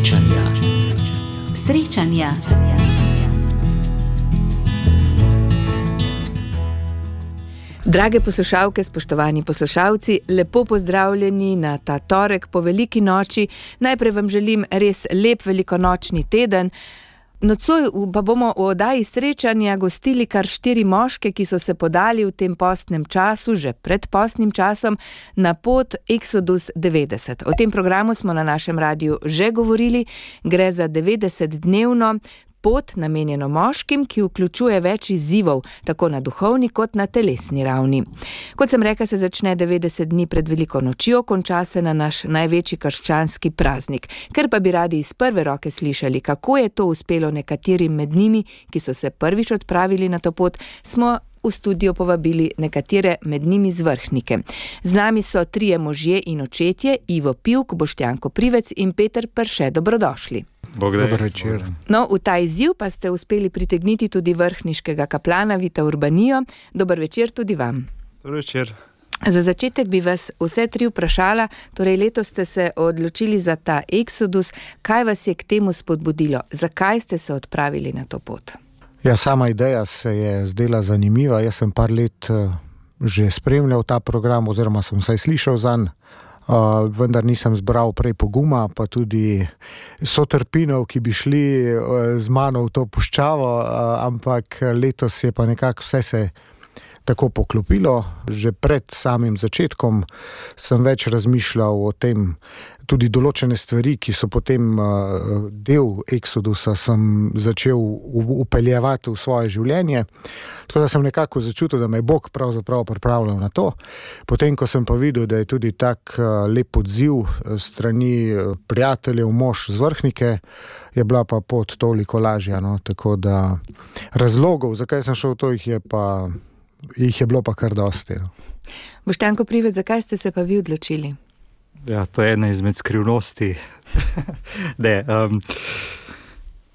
Srečanja. Srečanja. Drage poslušalke, spoštovani poslušalci, lepo pozdravljeni na ta torek po veliki noči. Najprej vam želim res lep velikonočni teden. Nocoj pa bomo v oddaji Srečanja gostili kar 4 moške, ki so se podali v tem postnem času, že pred postnim časom, na pot Exodus 90. O tem programu smo na našem radiju že govorili. Gre za 90-dnevno pot namenjeno moškim, ki vključuje več izzivov, tako na duhovni kot na telesni ravni. Kot sem rekla, se začne 90 dni pred veliko nočjo, konča se na naš največji krščanski praznik. Ker pa bi radi iz prve roke slišali, kako je to uspelo nekaterim med njimi, ki so se prvič odpravili na to pot, smo v studio povabili nekatere med njimi zvrhnike. Z nami so 3 možje in očetje, Ivo Pivk, Boštjan Koprivec in Peter Prše. Dobrodošli. Dober večer. No, v ta izziv pa ste uspeli pritegniti tudi vrhniškega kaplana Vita Urbanijo. Dober večer tudi vam. Dober večer. Za začetek bi vas vse 3 vprašala, torej letos ste se odločili za ta Exodus. Kaj vas je k temu spodbudilo? Zakaj ste se odpravili na to pot? Ja, sama ideja se je zdela zanimiva. Jaz sem par let že spremljal ta program, oziroma sem vsaj slišal zanj, vendar nisem zbral prej poguma, pa tudi sotrpinov, ki bi šli z mano v to puščavo, ampak letos je pa nekako vse se tako poklopilo. Že pred samim začetkom sem več razmišljal o tem, tudi določene stvari, ki so potem del Exodusa, sem začel upeljevati v svoje življenje. Tako da sem nekako začutil, da me je Bog pravzaprav pripravljal na to. Potem, ko sem pa videl, da je tudi tak lep odziv strani prijateljev, mož zvrhnike, je bila pa pot toliko lažja. No? Tako da razlogov, zakaj sem šel v to, jih je bilo pa kar dosti. No. Boštjan Koprivec, zakaj ste se pa vi odločili? Ja, to je ena izmed skrivnosti.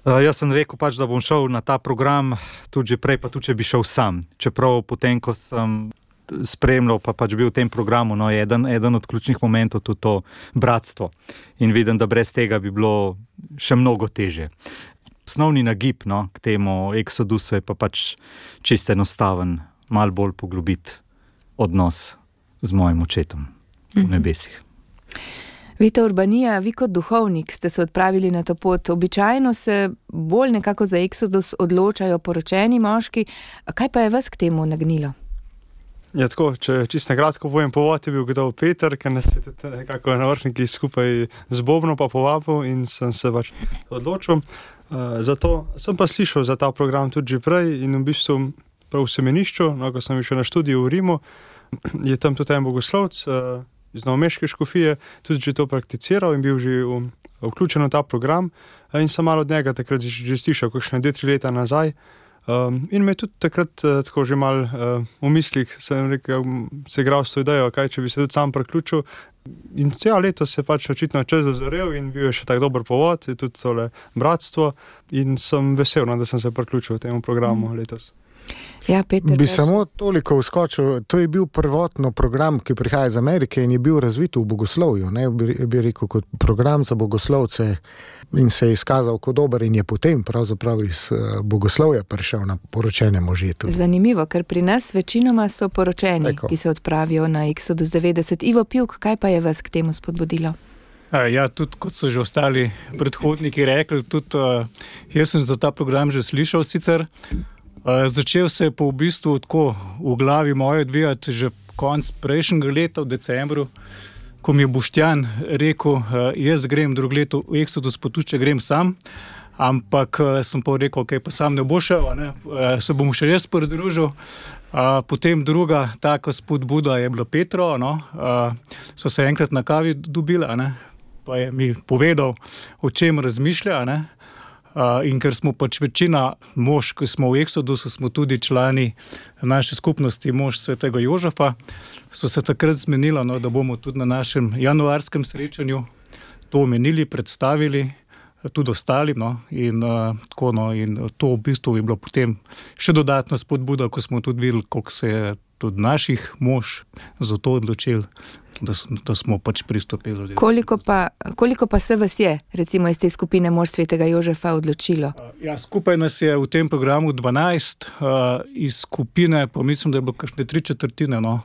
Jaz sem rekel pač, da bom šel na ta program tudi že prej, pa tudi če bi šel sam. Čeprav potem, ko sem spremljal, pa pač bil v tem programu, no, je eden od ključnih momentov tudi to bratstvo. In vidim, da brez tega bi bilo še mnogo težje. Osnovni nagib, no, k temu Exodusu je pa pač čisto enostaven, malo bolj poglobiti odnos z mojim očetom v nebesih. Vita Urbanija, vi kot duhovnik ste se odpravili na to pot. Običajno se bolj nekako za Exodus odločajo poročeni moški. Kaj pa je vas k temu nagnilo? Ja, tako, če čisto na kratko povem, povod je bil kdo Peter, ker nas je tudi nekako na vrhniki skupaj z Bobno pa povabil in sem se pač odločil. Zato sem pa slišal za ta program tudi že prej in v bistvu prav v semenišču, no, ko sem šel na študiju v Rimu, je tam tudi en bogoslovec iz novomeške škofije tudi že to prakticiral in bil že vključen v ta program in sem malo od njega takrat že slišal, kakšne 2-3 leta nazaj. In me tudi takrat tako že malo v mislih sem rekel, se igral s to idejo, kaj če bi se tudi sam priključil. In letos se pač očitno čas zazorel in bil je še tak dober povod, je tudi tole bratstvo in sem vesel, da sem se priključil temu programu letos. Ja, Peter, bi samo toliko vskočil, to je bil prvotno program, ki prihaja iz Amerike in je bil razvit v bogoslovju, ne, bi rekel, kot program za bogoslovce in se je izkazal kot dober in je potem pravzaprav iz bogoslovja prišel na poročene može tudi. Zanimivo, ker pri nas večinoma so poročeni, ki se odpravijo na Exodus 90. Ivo Pivk, kaj pa je vas k temu spodbudilo? Ja, tudi kot so že ostali predhodniki rekli, tudi jaz sem za ta program že slišal sicer. Začel se je pa v bistvu tako v glavi moje odvijati že konec prejšnjega leta, v decembru, ko mi je Boštjan rekel, jaz grem drugo leto v Exodus, pa tudi če grem sam, ampak sem pa rekel, ok, pa sam ne bo šel, ne? Se bom še res pridružil. Potem druga taka spodbuda je bila Petro, no? So se enkrat na kavi dobila, ne? Pa je mi povedal, o čem razmišlja, ne? In ker smo pač večina mož, ki smo v Exodusu, smo tudi člani naše skupnosti mož svetega Jožefa, so se takrat zmenila, no, da bomo tudi na našem januarskem srečanju to omenili, predstavili tudi ostalim, no, in tako, no, in to v bistvu je bilo potem še dodatno spodbuda, ko smo tudi videli, koliko se je tudi naših mož za to odločil, da smo pač pristopili. Koliko pa se vas je, recimo iz te skupine Mož svetega Jožefa, odločilo? Ja, skupaj nas je v tem programu 12, iz skupine pa mislim, da je bilo kakšne 3/4, no,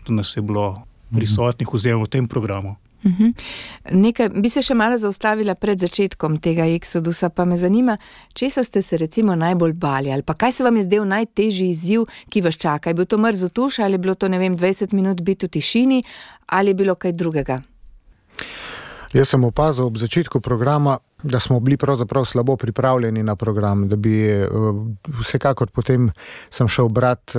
da nas je bilo prisotnih oziroma v tem programu. Nekaj, bi se še malo zaustavila pred začetkom tega Exodusa, pa me zanima, česa ste se recimo najbolj bali, ali pa kaj se vam je zdel najtežji izziv, ki vas čaka? Je bil to mrzel tuš, ali je bilo to, 20 minut biti v tišini, ali je bilo kaj drugega? Jaz sem opazil ob začetku programa, da smo bili pravzaprav slabo pripravljeni na program, da bi vsekakor potem sem šel brati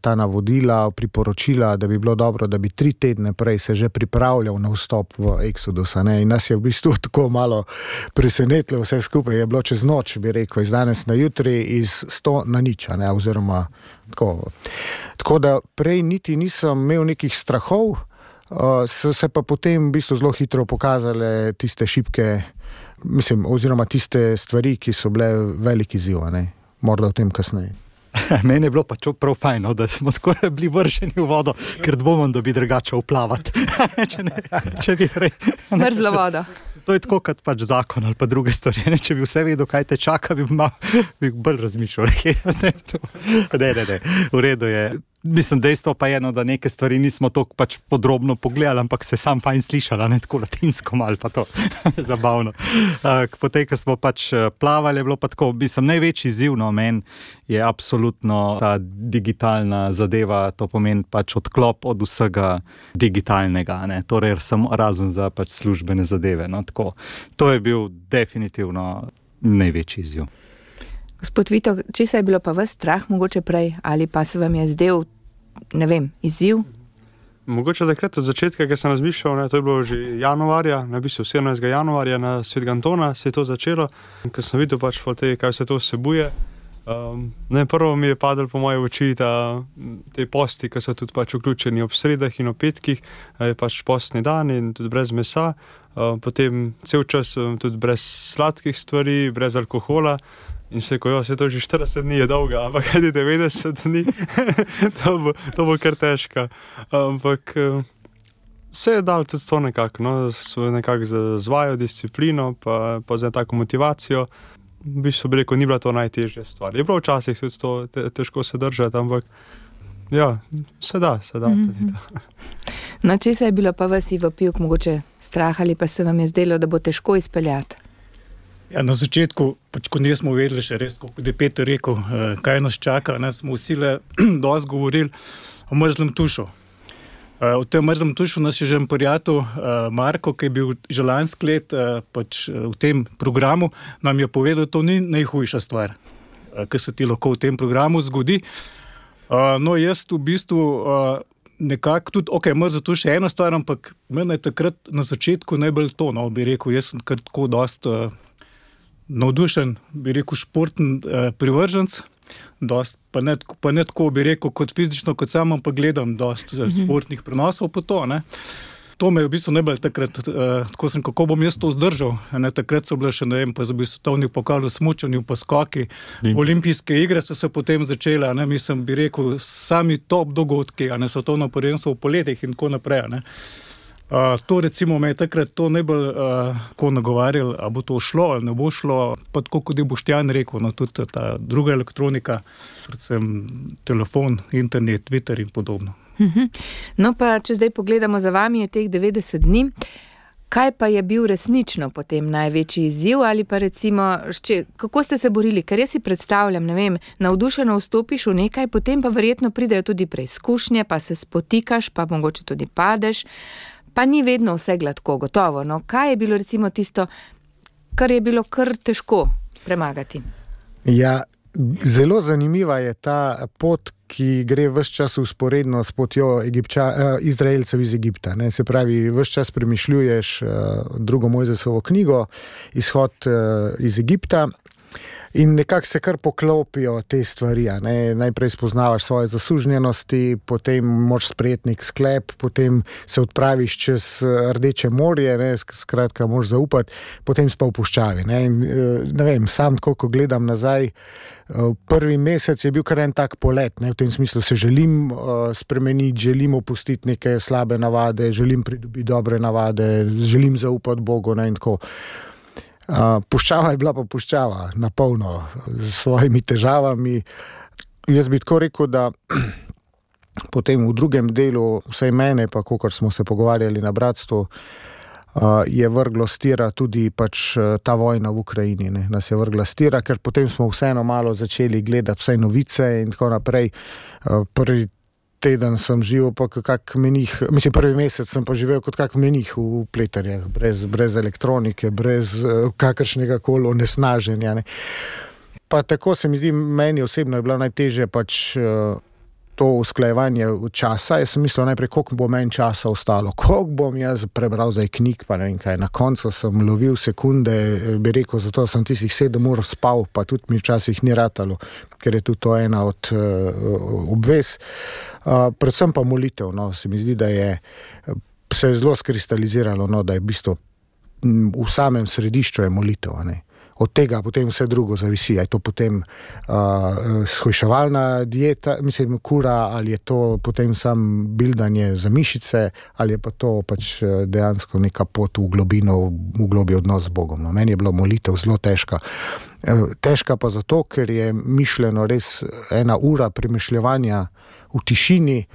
ta navodila, priporočila, da bi bilo dobro, da bi 3 tedne prej se že pripravljal na vstop v Exodus, ne? In nas je v bistvu tako malo presenetilo vse skupaj, je bilo čez noč, bi rekel, iz danes na jutri, iz 100 na nič, ne? Oziroma tako. Tako da prej niti nisem imel nekih strahov, so se pa potem v bistvu zelo hitro pokazale tiste šibke, mislim, oziroma tiste stvari, ki so bile veliki izziv, ne? Morda o tem kasneje. Meni je bilo pa prav fajn, da smo skoraj bili vrženi v vodo, ker dvomim, da bi drugače uplavati. če bi mrzlo vodo. To je tako kot pač zakon ali pa druge stvari. Če bi vse vedel, kaj te čaka, bi bolj razmišljal. Ne, v redu je. Mislim, dejstvo pa je, da neke stvari nismo toliko pač podrobno pogledali, ampak se sam fajn slišala, ne tako latinsko malo, pa to zabavno. Potem, ko smo pač plavali, je bilo pa tako, mislim, največji izziv, meni je absolutno ta digitalna zadeva, to pomeni pač odklop od vsega digitalnega, ne, torej samo razen za pač službene zadeve, no, tako. To je bil definitivno največji izziv. Gospod Vito, česa je bilo pa vas strah mogoče prej, ali pa se vam je zdel, ne vem, izziv? Mogoče takrat od začetka, ko sem razmišljal, to je bilo že januarja, v bistvu 17. januarja na Svetega Antona se je to začelo, ko sem videl pač kaj vse to vsebuje. Prvo mi je padel po moje oči te posti, ki so tudi pač vključeni ob sredah in ob petkih, je pač postni dan in tudi brez mesa, potem cel čas tudi brez sladkih stvari, brez alkohola. In se rekel, vse to že 40 dni je dolga, ampak kaj 90 dni, to bo kar težko. Ampak se je dal tudi to nekako, z vajo, disciplino, pa za tako motivacijo. V bistvu bi rekel, ni bila to najtežja stvar. Je bilo včasih tudi to težko se držati, ampak ja, se da tudi to. No, česa je bilo pa vas, Ivo Pivk, mogoče strah ali pa se vam je zdelo, da bo težko izpeljati? Ja, na začetku, pač ko nismo vedeli še res, kot je Peter rekel, kaj nas čaka, smo vsi dosti govorili o mrzlem tušu. O tem mrzlem tušu nas je že prijatelj Marko, ki je bil že lansko leto pač v tem programu, nam je povedal, da to ni najhujša stvar, ki se ti lahko v tem programu zgodi. No, jaz v bistvu nekako tudi, mrzlo tuš je ena stvar, ampak meni je takrat na začetku najbolj to, bi rekel, jaz sem kar tako dosti navdušen, bi rekel, športen privrženc, pa ne tako, bi rekel, kot fizično, kot sam, ampak gledam dosti športnih prenosov po to, ne. To me je v bistvu najbolj takrat, tako sem, kako bom jaz to zdržal, ne, takrat so bile še, ne vem, pa za svetovni pokal v smučanju, pa skoki, olimpijske igre so se potem začele, ne, mislim, bi rekel, sami top dogodki, ne, svetovno prvenstvo v poletih in tako naprej, ne. To recimo me je takrat to najbolj ko nagovarjal, a bo to šlo ali ne bo šlo, pa tako kot je Boštjan rekel, tudi ta druga elektronika, predvsem telefon, internet, Twitter in podobno. No pa, če zdaj pogledamo za vami, je teh 90 dni, kaj pa je bil resnično potem največji izziv ali pa recimo, kako ste se borili, ker jaz si predstavljam, ne vem, navdušeno vstopiš v nekaj, potem pa verjetno pridejo tudi preizkušnje, pa se spotikaš, pa mogoče tudi padeš, pa ni vedno vse gladko, gotovo. No, kaj je bilo recimo tisto, kar je bilo kar težko premagati? Ja, zelo zanimiva je ta pot, ki gre ves čas vzporedno s potjo Izraelcev iz Egipta. Ne? Se pravi, ves čas premišljuješ drugo Mojzesovo knjigo, izhod iz Egipta In nekako se kar poklopijo te stvari. Najprej spoznavaš svoje zaslužnjenosti, potem moraš sprejeti nek sklep, potem se odpraviš čez Rdeče morje, skratka, moraš zaupati, potem si pa v puščavi. Ne vem, sam tako, ko gledam nazaj, prvi mesec je bil kar en tak polet, v tem smislu se želim spremeniti, želim opustiti neke slabe navade, želim pridobiti dobre navade, želim zaupati Bogu in tako. Puščava je bila pa puščava, napolno, s svojimi težavami. Jaz bi tako rekel, da potem v drugem delu, vsaj mene, pa kakor smo se pogovarjali na bratstvu, je vrglo stira tudi pač ta vojna v Ukrajini. Nas je vrgla stira, ker potem smo vseeno malo začeli gledati vse novice in tako naprej. Prvi teden sem živel pa kak menih, prvi mesec sem pa živel kot kak menih v Pleterjah, brez elektronike, brez kakršnega koli onesnaženja. Pa tako se mi zdi, meni osebno je bilo najtežje pač to usklajevanje časa. Jaz sem mislil najprej, koliko bo meni časa ostalo, koliko bom jaz prebral zdaj knjig, pa ne vem kaj. Na koncu sem lovil sekunde, bi rekel, zato sem tistih 7 ur spal, pa tudi mi včasih ni ratalo, ker je tudi to ena od obvez. Predvsem pa molitev, se mi zdi, da se je zelo skristaliziralo, da je v bistvu v samem središču je molitev, Od tega potem vse drugo zavisi. Je to potem shujševalna dieta, kura, ali je to potem sam bildanje za mišice, ali je pa to pač dejansko neka pot v globino, v globi odnos z Bogom. Meni je bilo molitev zelo težka. Težka pa zato, ker je mišljeno res 1 ura premišljevanja v tišini,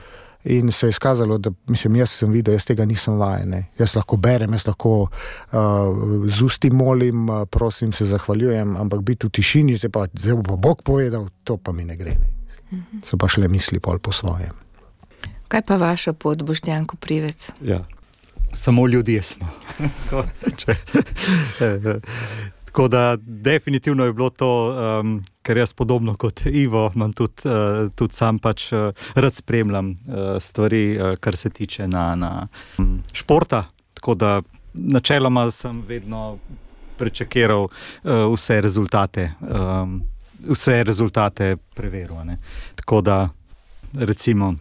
in se je izkazalo, da jaz sem videl, jaz tega nisem vajen. Jaz lahko berem, jaz lahko z usti molim, prosim, se zahvaljujem, ampak biti v tišini, zdaj bo pa Bog povedal, to pa mi ne gre. So pa šle misli pol po svojem. Kaj pa vaša pot, Boštjan Koprivec? Ja, samo ljudje smo. Tako da definitivno je bilo to, ker jaz podobno kot Ivo, imam tudi sam pač rad spremljam stvari, kar se tiče na športa, tako da načeloma sem vedno prečekiral vse rezultate preveril. Tako da recimo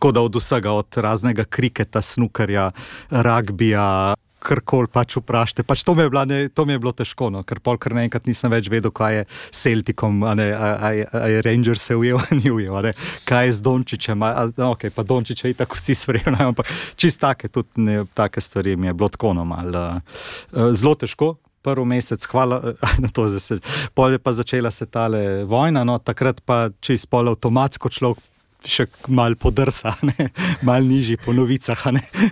od vsega, od raznega kriketa, snukerja, ragbija, karkoli pač vprašate. Pač to mi je bilo težko, ker kar naenkrat nisem več vedel, kaj je s Celticom, a je Rangers se ujel, ni ujel, kaj je z Dončićem, pa Dončića itak vsi sprejeli, ampak čist take stvari mi je bilo tako malo zelo težko. Prvi mesec, hvala na to, pol je pa začela se tale vojna, takrat pa čist pol avtomatsko človek še malo podrsa, malo nižji po novicah,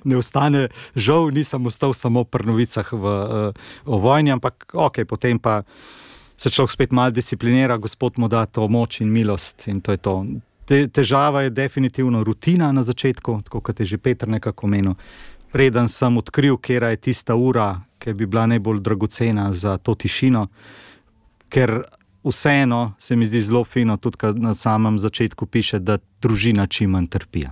ne ostane, žal nisem ostal samo pri novicah o vojni, ampak potem pa se človek spet malo disciplinira, Gospod mu da to moč in milost in to je to. Težava je definitivno rutina na začetku, tako kot je že Peter nekako omenil. Preden sem odkril, kera je tista ura, ki bi bila najbolj dragocena za to tišino, ker vseeno se mi zdi zelo fino, tudi kad na samem začetku piše, da družina čim manj trpi.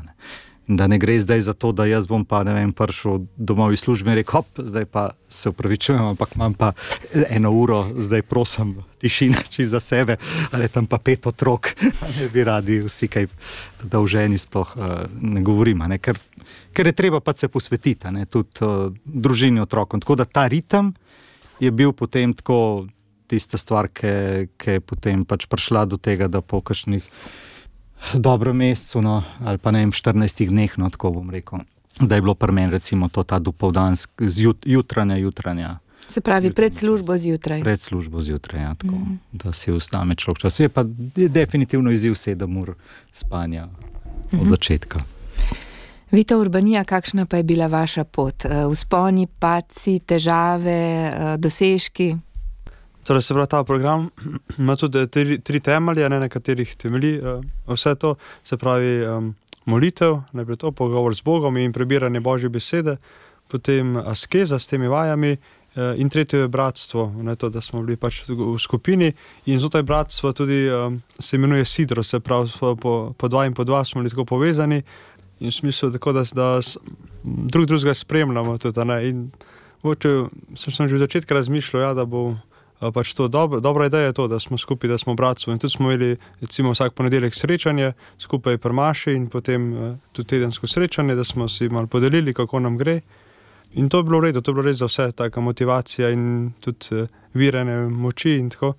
Da ne gre zdaj za to, da jaz bom pa, prišel domov iz službe in rekel, zdaj pa se upravičujem, ampak imam pa 1 uro, zdaj prosim, tišina čisto za sebe, ali tam pa 5 otrok, ne bi radi vsi kaj dolženi sploh ne govorim, ker je treba pa se posvetiti, tudi družini otrokom. Tako da ta ritem je bil potem tako tista stvar, ki je potem pač prišla do tega, da po kakšnih dobro mesecu, ali pa 14 dneh, tako bom rekel, da je bilo pri meni recimo to ta dopoldansk, jutranja. Se pravi, pred službo zjutraj. Pred službo zjutraj, ja, tako, da si vstane človek čas. Je pa definitivno izziv 7 ur spanja od začetka. Vita Urbanija, kakšna pa je bila vaša pot? Vzponi, padci, težave, dosežki? Torej se pravi, ta program ima tudi 3 temelje, na katerih temelji vse to, se pravi molitev, najprej to, pogovor z Bogom in prebiranje Božje besede, potem askeza s temi vajami in tretje je bratstvo, to, da smo bili pač v skupini in znotraj bratstva tudi se imenuje sidro, se pravi po 2 in po 2 smo bili tako povezani in v smislu tako, da drugega spremljamo tudi, in sem že v začetku razmišljal, da bo pač to dobra ideja je to, da smo skupaj, da smo bratstvo. In tudi smo imeli recimo vsak ponedeljek srečanje skupaj pri maši in potem tudi tedensko srečanje, da smo si malo podelili, kako nam gre. In to je bilo v redu, to je bilo res za vse, taka motivacija in tudi viranje moči in tako.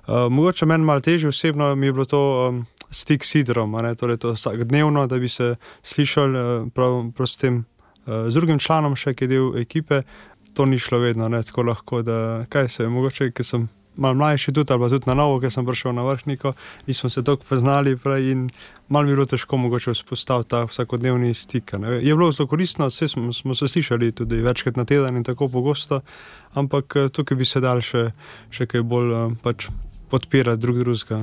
Mogoče meni malo težje osebno mi je bilo to stik s Sidrom, torej to vsakdnevno, da bi se slišali prav s tem z drugim članom še, ki je del ekipe. To ni šlo vedno, tako lahko, da kaj se je, mogoče, ker sem malo mlajši tudi, ali pa tudi na novo, ker sem prišel na vrhniko, nismo se toliko poznali prej in malo mi je bilo težko mogoče vzpostaviti ta vsakodnevni stik. Je bilo zelo koristno, smo se slišali tudi večkrat na teden in tako pogosto, ampak tukaj bi se dal še kaj bolj pač podpirati drugega.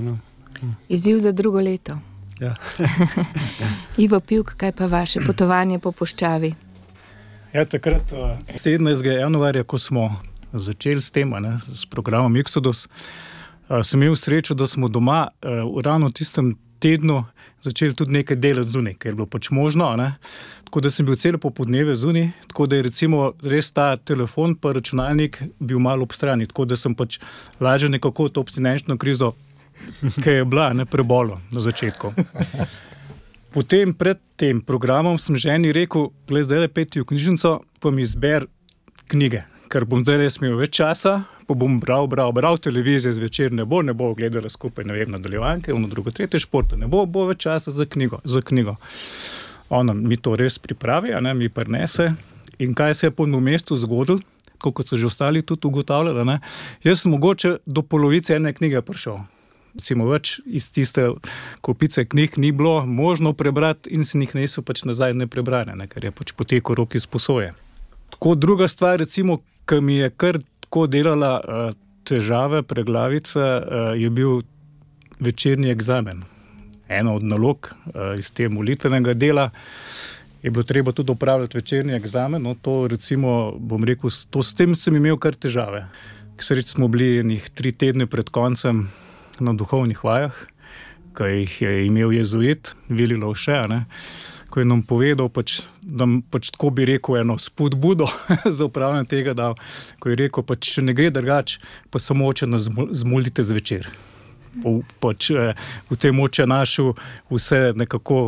Izziv za drugo leto. Ja. Ivo Pivk, kaj pa vaše potovanje po puščavi? Ja, takrat 17. januarja, ko smo začeli s tem, s programom Exodus, sem imel srečo, da smo doma ravno v tistem tednu začeli tudi nekaj delati zunaj, ker je bilo pač možno, tako da sem bil celo popoldneve zunaj, tako da je recimo res ta telefon pa računalnik bil malo ob strani, tako da sem pač lažje nekako to abstinenčno krizo, ki je bila prebolo na začetku. Potem pred tem programom sem ženi rekel, gled, zdaj peti v knjižnico, pa mi izber knjige, ker bom zdaj res imel več časa, pa bom bral televizijo zvečer, ne bo gledala skupaj, nadaljevanke, drugo, tretje športa, ne bo več časa za knjigo. Ona mi to res pripravi, mi prinese. In kaj se je po mestu zgodilo, kot so že ostali tudi ugotavljali, jaz sem mogoče do polovice ene knjige prišel. Recimo več iz tiste kopice knjig ni bilo možno prebrati in si njih niso pač nazaj neprebrane, ker je pač potekel rok iz posoje. Tako druga stvar, recimo, ki mi je kar tako delala težave, preglavice, je bil večerni egzamen. Ena od nalog iz te molitvenega dela je bilo treba tudi opravljati večerni egzamen, to recimo, bom rekel, s tem sem imel kar težave. K sreči smo bili 3 tedne pred koncem na duhovnih vajah, ki jih je imel jezuit, Vili Lovše, ko je nam povedal, da tako bi rekel eno spodbudo za upravljanje tega dal, ko je rekel, če ne gre drugače, pa samo oče nas zmolite zvečer. V tem oče našu vse nekako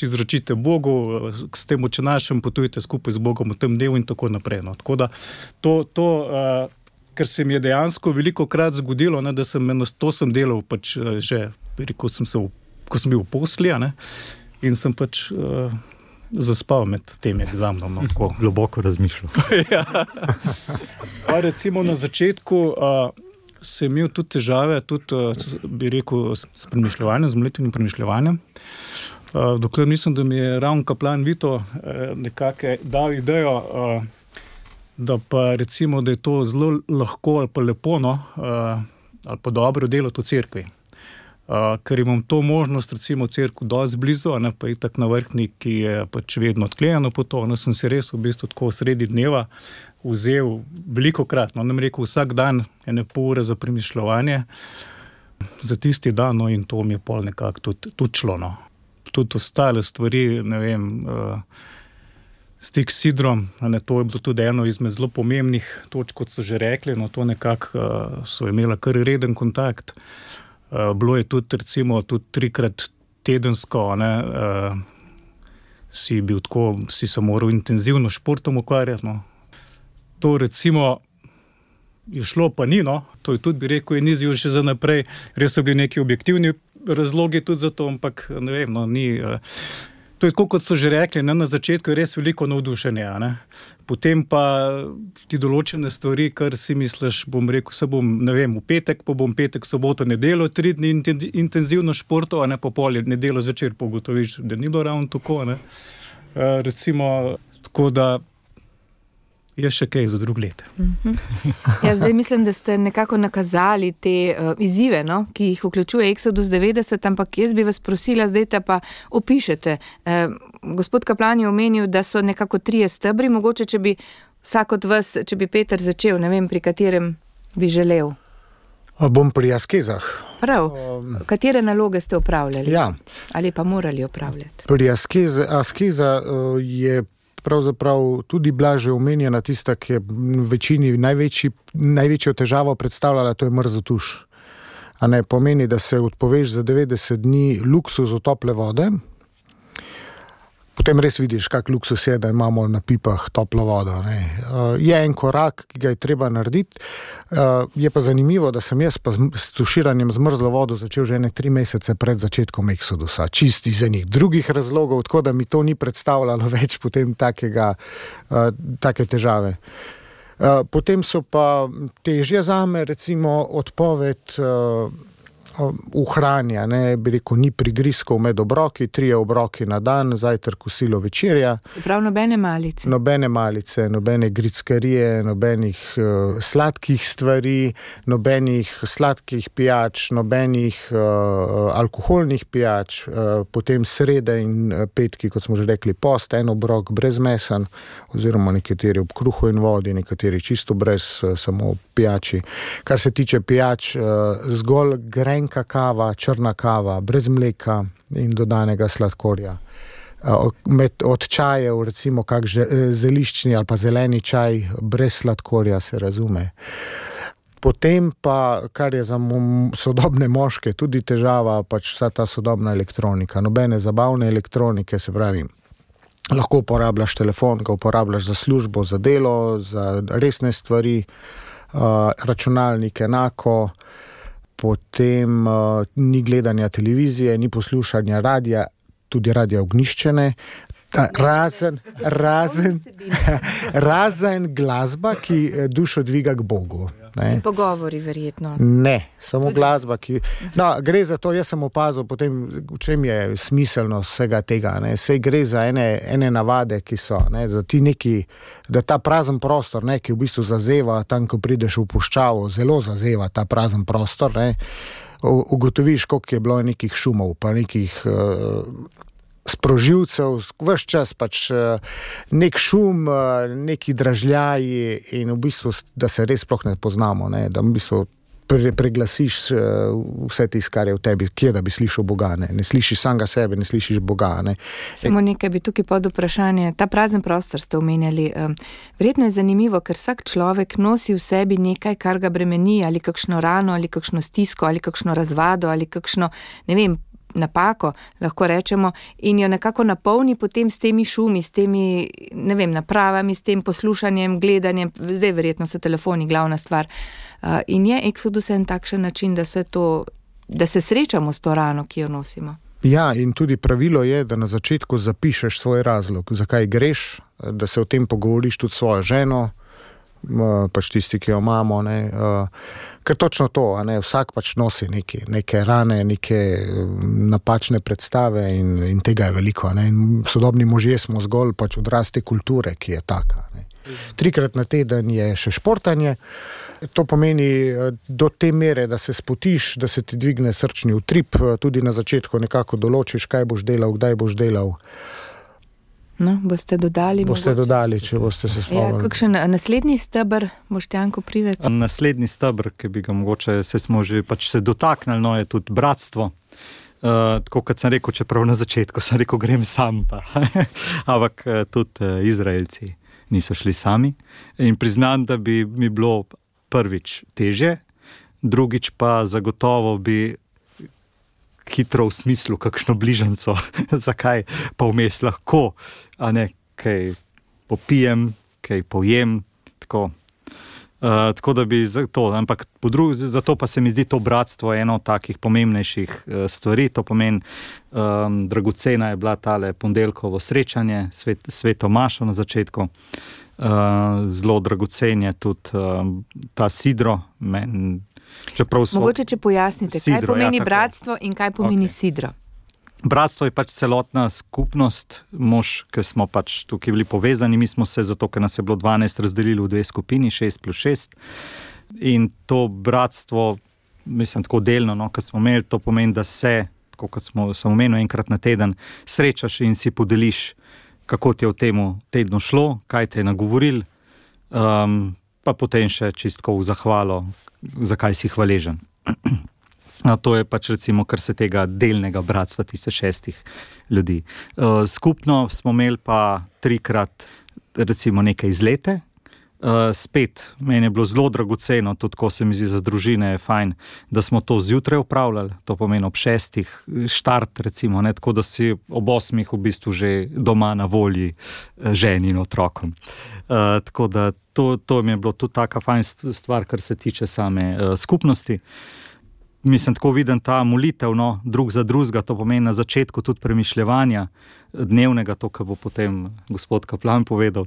izročite Bogu, s tem oče našem potujte skupaj z Bogom v tem dnevu in tako naprej. Tako da to ker se mi je dejansko veliko krat zgodilo, da to sem delal že, ko sem bil v posli, in sem zaspal med tem egzamenom. Globoko razmišljal. Ja. Recimo na začetku sem imel tudi težave, bi rekel, s premišljevanjem, z molitvenim premišljevanjem. Dokler mislim, da mi je ravno kaplan Vito nekako dal idejo, da pa recimo, da je to zelo lahko ali pa lepo, ali pa dobro delati v cerkvi. Ker imam to možnost, recimo v cerkvu dosti blizu, pa je tak na vrhni, ki je pač vedno odklenjeno po to, sem se res v bistvu tako sredi dneva vzel velikokrat, nam rekel vsak dan ene pol ure za premišljevanje za tisti dan, in to mi je pol nekako tudi šlo. Tudi ostale stvari, ne vem, stik s Sidrom, to je bilo tudi eno izmed zelo pomembnih točk, kot so že rekli, to nekako so imela kar reden kontakt. Bilo je tudi recimo tudi 3-krat tedensko, si se moral intenzivno športom ukvarjati. To recimo je šlo, pa ni, to je tudi, bi rekel, in izziv še za naprej. Res so bili neki objektivni razlogi tudi za to, ampak ne vem, ni... To je tako, kot so že rekli, na začetku je res veliko navdušenja, Potem pa ti določene stvari, kar si misliš, bom rekel, v petek, pa bom petek, soboto, nedeljo, 3 dni intenzivno športov, pa pol nedeljo zvečer pogotoviš, da ni bilo ravno tako, Recimo, tako da je še kaj za drug let. Ja, zdaj mislim, da ste nekako nakazali te izzive, ki jih vključuje Exodus 90, ampak jaz bi vas prosila, zdaj te pa opišete. Gospod kaplan je omenil, da so nekako 3 stebri, mogoče, če bi vsak od vas, če bi Peter začel, ne vem, pri katerem bi želel. Bom pri askezah. Prav. Katere naloge ste opravljali? Ja. Ali pa morali opravljati? Pri askeza je pravzaprav tudi bila že omenjena tista, ki je v večini največjo težavo predstavljala, to je mrzotuš. A ne pomeni, da se odpoveš za 90 dni luksuzu tople vode, potem res vidiš, kak luksus je, da imamo na pipah toplo vodo. Ne. Je en korak, ki ga je treba narediti. Je pa zanimivo, da sem jaz pa s tuširanjem z mrzlo vodo začel že 3 mesece pred začetkom Exodusa. Čisti iz enih drugih razlogov, tako da mi to ni predstavljalo več potem take težave. Potem so pa težje zame, recimo odpoved uhranja, ne, bi rekel, ni prigrizkov med obroki, 3 obroki na dan, zajtrk, kosilo, večerja. Prav nobene malice. Nobene malice, nobene grickarije, nobenih sladkih stvari, nobenih sladkih pijač, nobenih alkoholnih pijač, potem srede in petki, kot smo že rekli, post, en obrok brez mesa, oziroma nekateri ob kruhu in vodi, nekateri čisto brez, samo pijači. Kar se tiče pijač, zgolj grenka kava, črna kava, brez mleka in dodanega sladkorja. Od čajev, recimo kak zeliščni ali pa zeleni čaj, brez sladkorja, se razume. Potem pa, kar je za sodobne moške tudi težava, pač vsa ta sodobna elektronika. Nobene zabavne elektronike, se pravi, lahko uporabljaš telefon, ga uporabljaš za službo, za delo, za resne stvari, računalnik enako, potem ni gledanja televizije, ni poslušanja radija, tudi radija ognjiščene, razen glasba, ki dušo dviga k Bogu. Ne? Pogovori verjetno. Ne, samo glasba, ki... No, gre za to, jaz sem opazil potem, v čem je smiselnost vsega tega. Ne? Sej gre za ene navade, ki so, ne? Za ti neki, da ta prazen prostor, ne? Ki v bistvu zazeva, tam, ko prideš v puščavo, zelo zazeva ta prazen prostor, ne? Ugotoviš, koliko je bilo nekih šumov, pa nekih sprožilcev, ves čas pač nek šum, neki dražljaji in v bistvu, da se res sploh ne poznamo, ne? Da v bistvu preglasiš vse tisto, kar je v tebi, kje da bi slišal Boga, ne slišiš samega sebe, ne slišiš Boga. Ne? Samo nekaj bi tukaj pod vprašanje, ta prazen prostor ste omenjali, verjetno je zanimivo, ker vsak človek nosi v sebi nekaj, kar ga bremeni, ali kakšno rano, ali kakšno stisko, ali kakšno razvado, ali kakšno, ne vem, napako, lahko rečemo, in jo nekako napolni potem s temi šumi, s temi, ne vem, napravami, s tem poslušanjem, gledanjem, zdaj verjetno so telefoni glavna stvar. In je Exodus en takšen način, da se srečamo s to rano, ki jo nosimo. Ja, in tudi pravilo je, da na začetku zapišeš svoj razlog, zakaj greš, da se o tem pogovoriš tudi s svojo ženo, pač tisti, ki jo imamo, ne, ker točno to, ne, vsak pač nosi neke rane, neke napačne predstave in tega je veliko, ne, in sodobni možje smo zgolj pač odraz te kulture, ki je taka, ne. 3-krat na teden je še športanje, to pomeni do te mere, da se spotiš, da se ti dvigne srčni utrip, tudi na začetku nekako določiš, kaj boš delal, kdaj boš delal. No, boste dodali, če boste se spomnili. Ja, kakšen naslednji steber, Boštjanko Privec? Naslednji steber, ki bi ga mogoče, smo že pač se dotaknili, no, je tudi bratstvo. Tako kot sem rekel, čeprav na začetku sem rekel, grem sam pa. Ampak tudi Izraelci niso šli sami. In priznam, da bi mi bilo prvič težje, drugič pa zagotovo bi hitro v smislu, kakšno bližanco, zakaj pa vmes lahko, a ne, kaj popijem, kaj pojem, tako da bi zato, ampak zato pa se mi zdi to bratstvo eno od takih pomembnejših stvari, to pomeni, dragocena je bila tale ponedeljkovo srečanje, sveto mašo na začetku, zelo dragocen je tudi ta sidro, Mogoče, če pojasnite, sidro, kaj pomeni bratstvo in kaj pomeni sidro? Bratstvo je pač celotna skupnost, ki smo pač tukaj bili povezani, mi smo se, zato ker nas je bilo 12 razdelili v 2 skupini, 6+6, in to bratstvo, mislim, tako delno, no, ko smo imeli, to pomeni, da se, tako kot sem omenil, enkrat na teden srečaš in si podeliš, kako ti je v temu tednu šlo, kaj te je nagovoril, pa potem še čistko v zahvalo, zakaj si hvaležen. To je pač recimo, kar se tega delnega bratstva 6 ljudi. Skupno smo imeli pa 3-krat recimo neke izlete. Spet, meni je bilo zelo dragoceno, tudi ko se mi zdi za družine je fajn, da smo to zjutraj upravljali, to pomeni ob 6 štart recimo, ne, tako da si ob 8 v bistvu že doma na volji ženi in otrokom. Tako da to mi je bilo tudi taka fajn stvar, kar se tiče same skupnosti. Mislim, tako vidim ta molitev, no, drug za drugega, to pomeni na začetku tudi premišljevanja dnevnega, to, kar bo potem gospod kaplan povedal,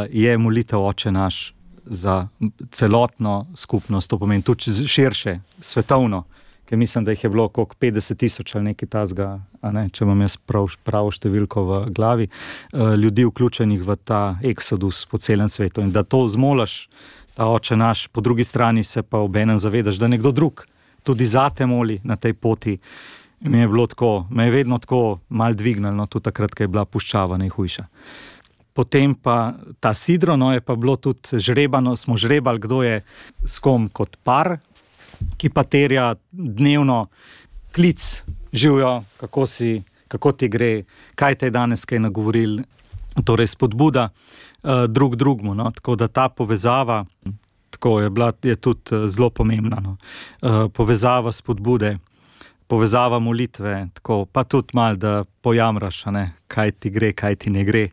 je molitev Oče naš za celotno skupnost, to pomeni tudi širše, svetovno, ker mislim, da jih je bilo koliko 50,000 ali nekaj tazga, če imam jaz pravo številko v glavi, ljudi vključenih v ta eksodus po celem svetu in da to zmolaš, ta Oče naš, po drugi strani se pa obenem zavedaš, da nekdo drug tudi zate moli na tej poti. Mi je bilo tako, me je vedno tako malo dvignilo, tudi takrat, ko je bila puščava najhujša. Potem pa ta sidro, no, je pa bilo tudi žrebano, smo žrebali, kdo je s kom kot par, ki pa terja dnevno klic, živijo, kako ti gre, kaj te je danes kaj nagovoril, torej spodbuda drug drugmu, no, tako da ta povezava je tudi zelo pomembna. No. Povezava spodbude, povezava molitve, tako, pa tudi malo, da pojamraš, kaj ti gre, kaj ti ne gre,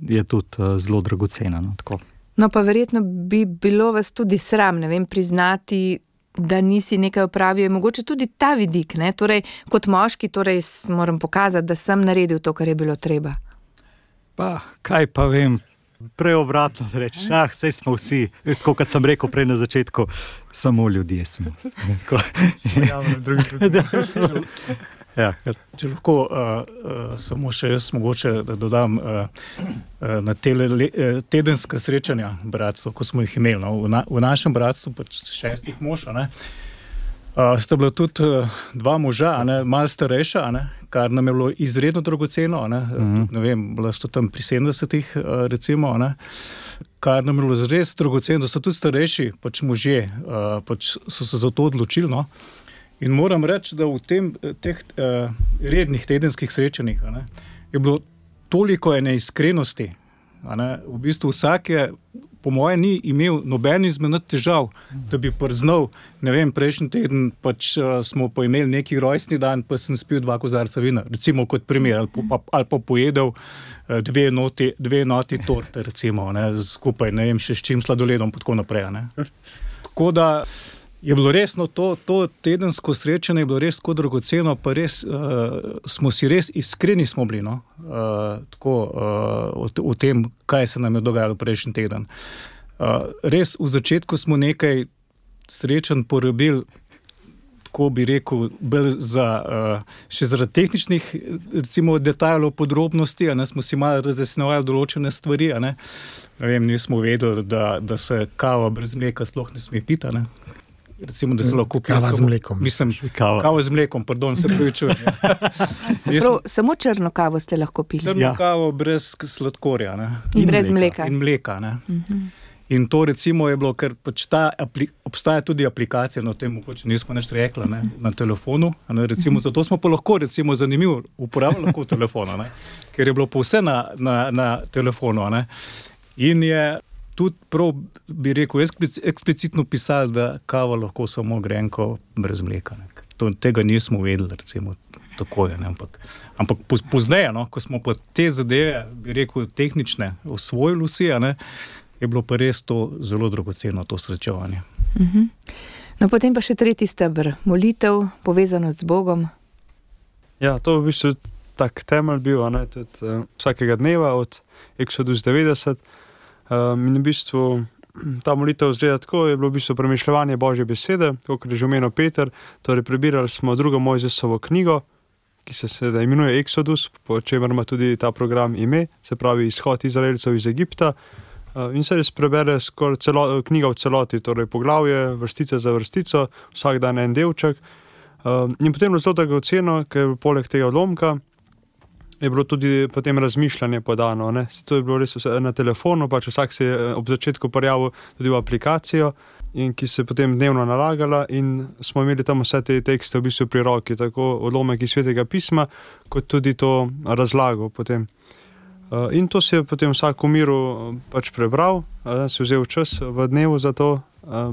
je tudi zelo dragocena. No, tako. No pa verjetno bi bilo vas tudi sram, ne vem, priznati, da nisi nekaj opravil, mogoče tudi ta vidik, ne? Torej, kot moški, torej moram pokazati, da sem naredil to, kar je bilo treba. Pa, kaj pa vem, preobratno reči, saj smo vsi, tako kot sem rekel prej na začetku, samo ljudje smo. Če lahko samo še jaz mogoče da dodam na tedenska srečanja bratstva, ko smo jih imeli. No, v našem bratstvu pač 6 mož, sta bila tudi 2 moža, malo starejša, kar nam je bilo izredno dragoceno, ne vem, bila sta tam pri 70-ih recimo, kar nam je bilo res dragoceno, da so tudi starejši pač možje, pač so se za to odločili, no. In moram reči, da v teh rednih tedenskih srečanjih je bilo toliko ene iskrenosti, v bistvu vsak je po moje ni imel noben izmed težav, da bi priznal, ne vem, prejšnji teden pač smo pa imeli neki rojstni dan, pa sem spil 2 kozarca vina, recimo kot primer, ali pa pojedel 2 enoti torte, recimo, skupaj, ne vem, še s čim sladoledom, pa tako naprej, Tako da je bilo res, no, to tedensko srečanje je bilo res tako dragoceno, pa res smo si res iskreni smo bili, no, tako o tem, kaj se nam je dogajalo prejšnji teden. Res v začetku smo nekaj srečanj porabili, tako bi rekel, še zaradi tehničnih, recimo, detajlov, podrobnosti, smo si malo razjasnjevali določene stvari, ne vem, nismo vedeli, da se kava brez mleka sploh ne sme piti, recimo, da se lahko kava z mlekom. Mislim, kava z mlekom, pardon, se pravičujem. Samo črno kavo ste lahko pili. Črno kavo brez sladkorja, In brez mleka. In mleka, In to recimo je bilo, ker pač obstaja tudi aplikacija, no tem mogoče nismo nič rekla, na telefonu, recimo, zato smo pa lahko, recimo, zanimivo uporabljali lahko telefona, ker je bilo pa vse na telefonu, In je tudi prav, bi rekel, eksplicitno pisali, da kava lahko samo grenko brez mleka. Tega nismo vedeli, recimo, tako je, ampak pozneje, ko smo pa te zadeve, bi rekel, tehnične osvojili vsi, je bilo pa res to zelo dragoceno, to srečevanje. No, potem pa še 3. steber, molitev, povezanost z Bogom. Ja, to v bistvu tak temelj bil, tudi vsakega dneva od Exodus 90. In v bistvu ta molitev zgleda tako, je bilo v bistvu premišljevanje Božje besede, kot je že omenil Peter, torej prebirali smo 2. Mojzesovo knjigo, ki se seveda imenuje Exodus, po čemer ima tudi ta program ime, se pravi izhod Izraelcev iz Egipta, in se res prebere skoraj knjiga v celoti, torej poglavje, vrstica za vrstico, vsak dan en delček, in potem je zelo dragoceno, ker poleg tega odlomka je bilo tudi potem razmišljanje podano, To je bilo res na telefonu, pač vsak se je ob začetku prijavil tudi v aplikacijo in ki se je potem dnevno nalagala in smo imeli tam vse te tekste v bistvu pri roki, tako odlomek iz Svetega pisma, kot tudi to razlago potem. In to si je potem vsak v miru pač prebral, si vzel čas v dnevu za to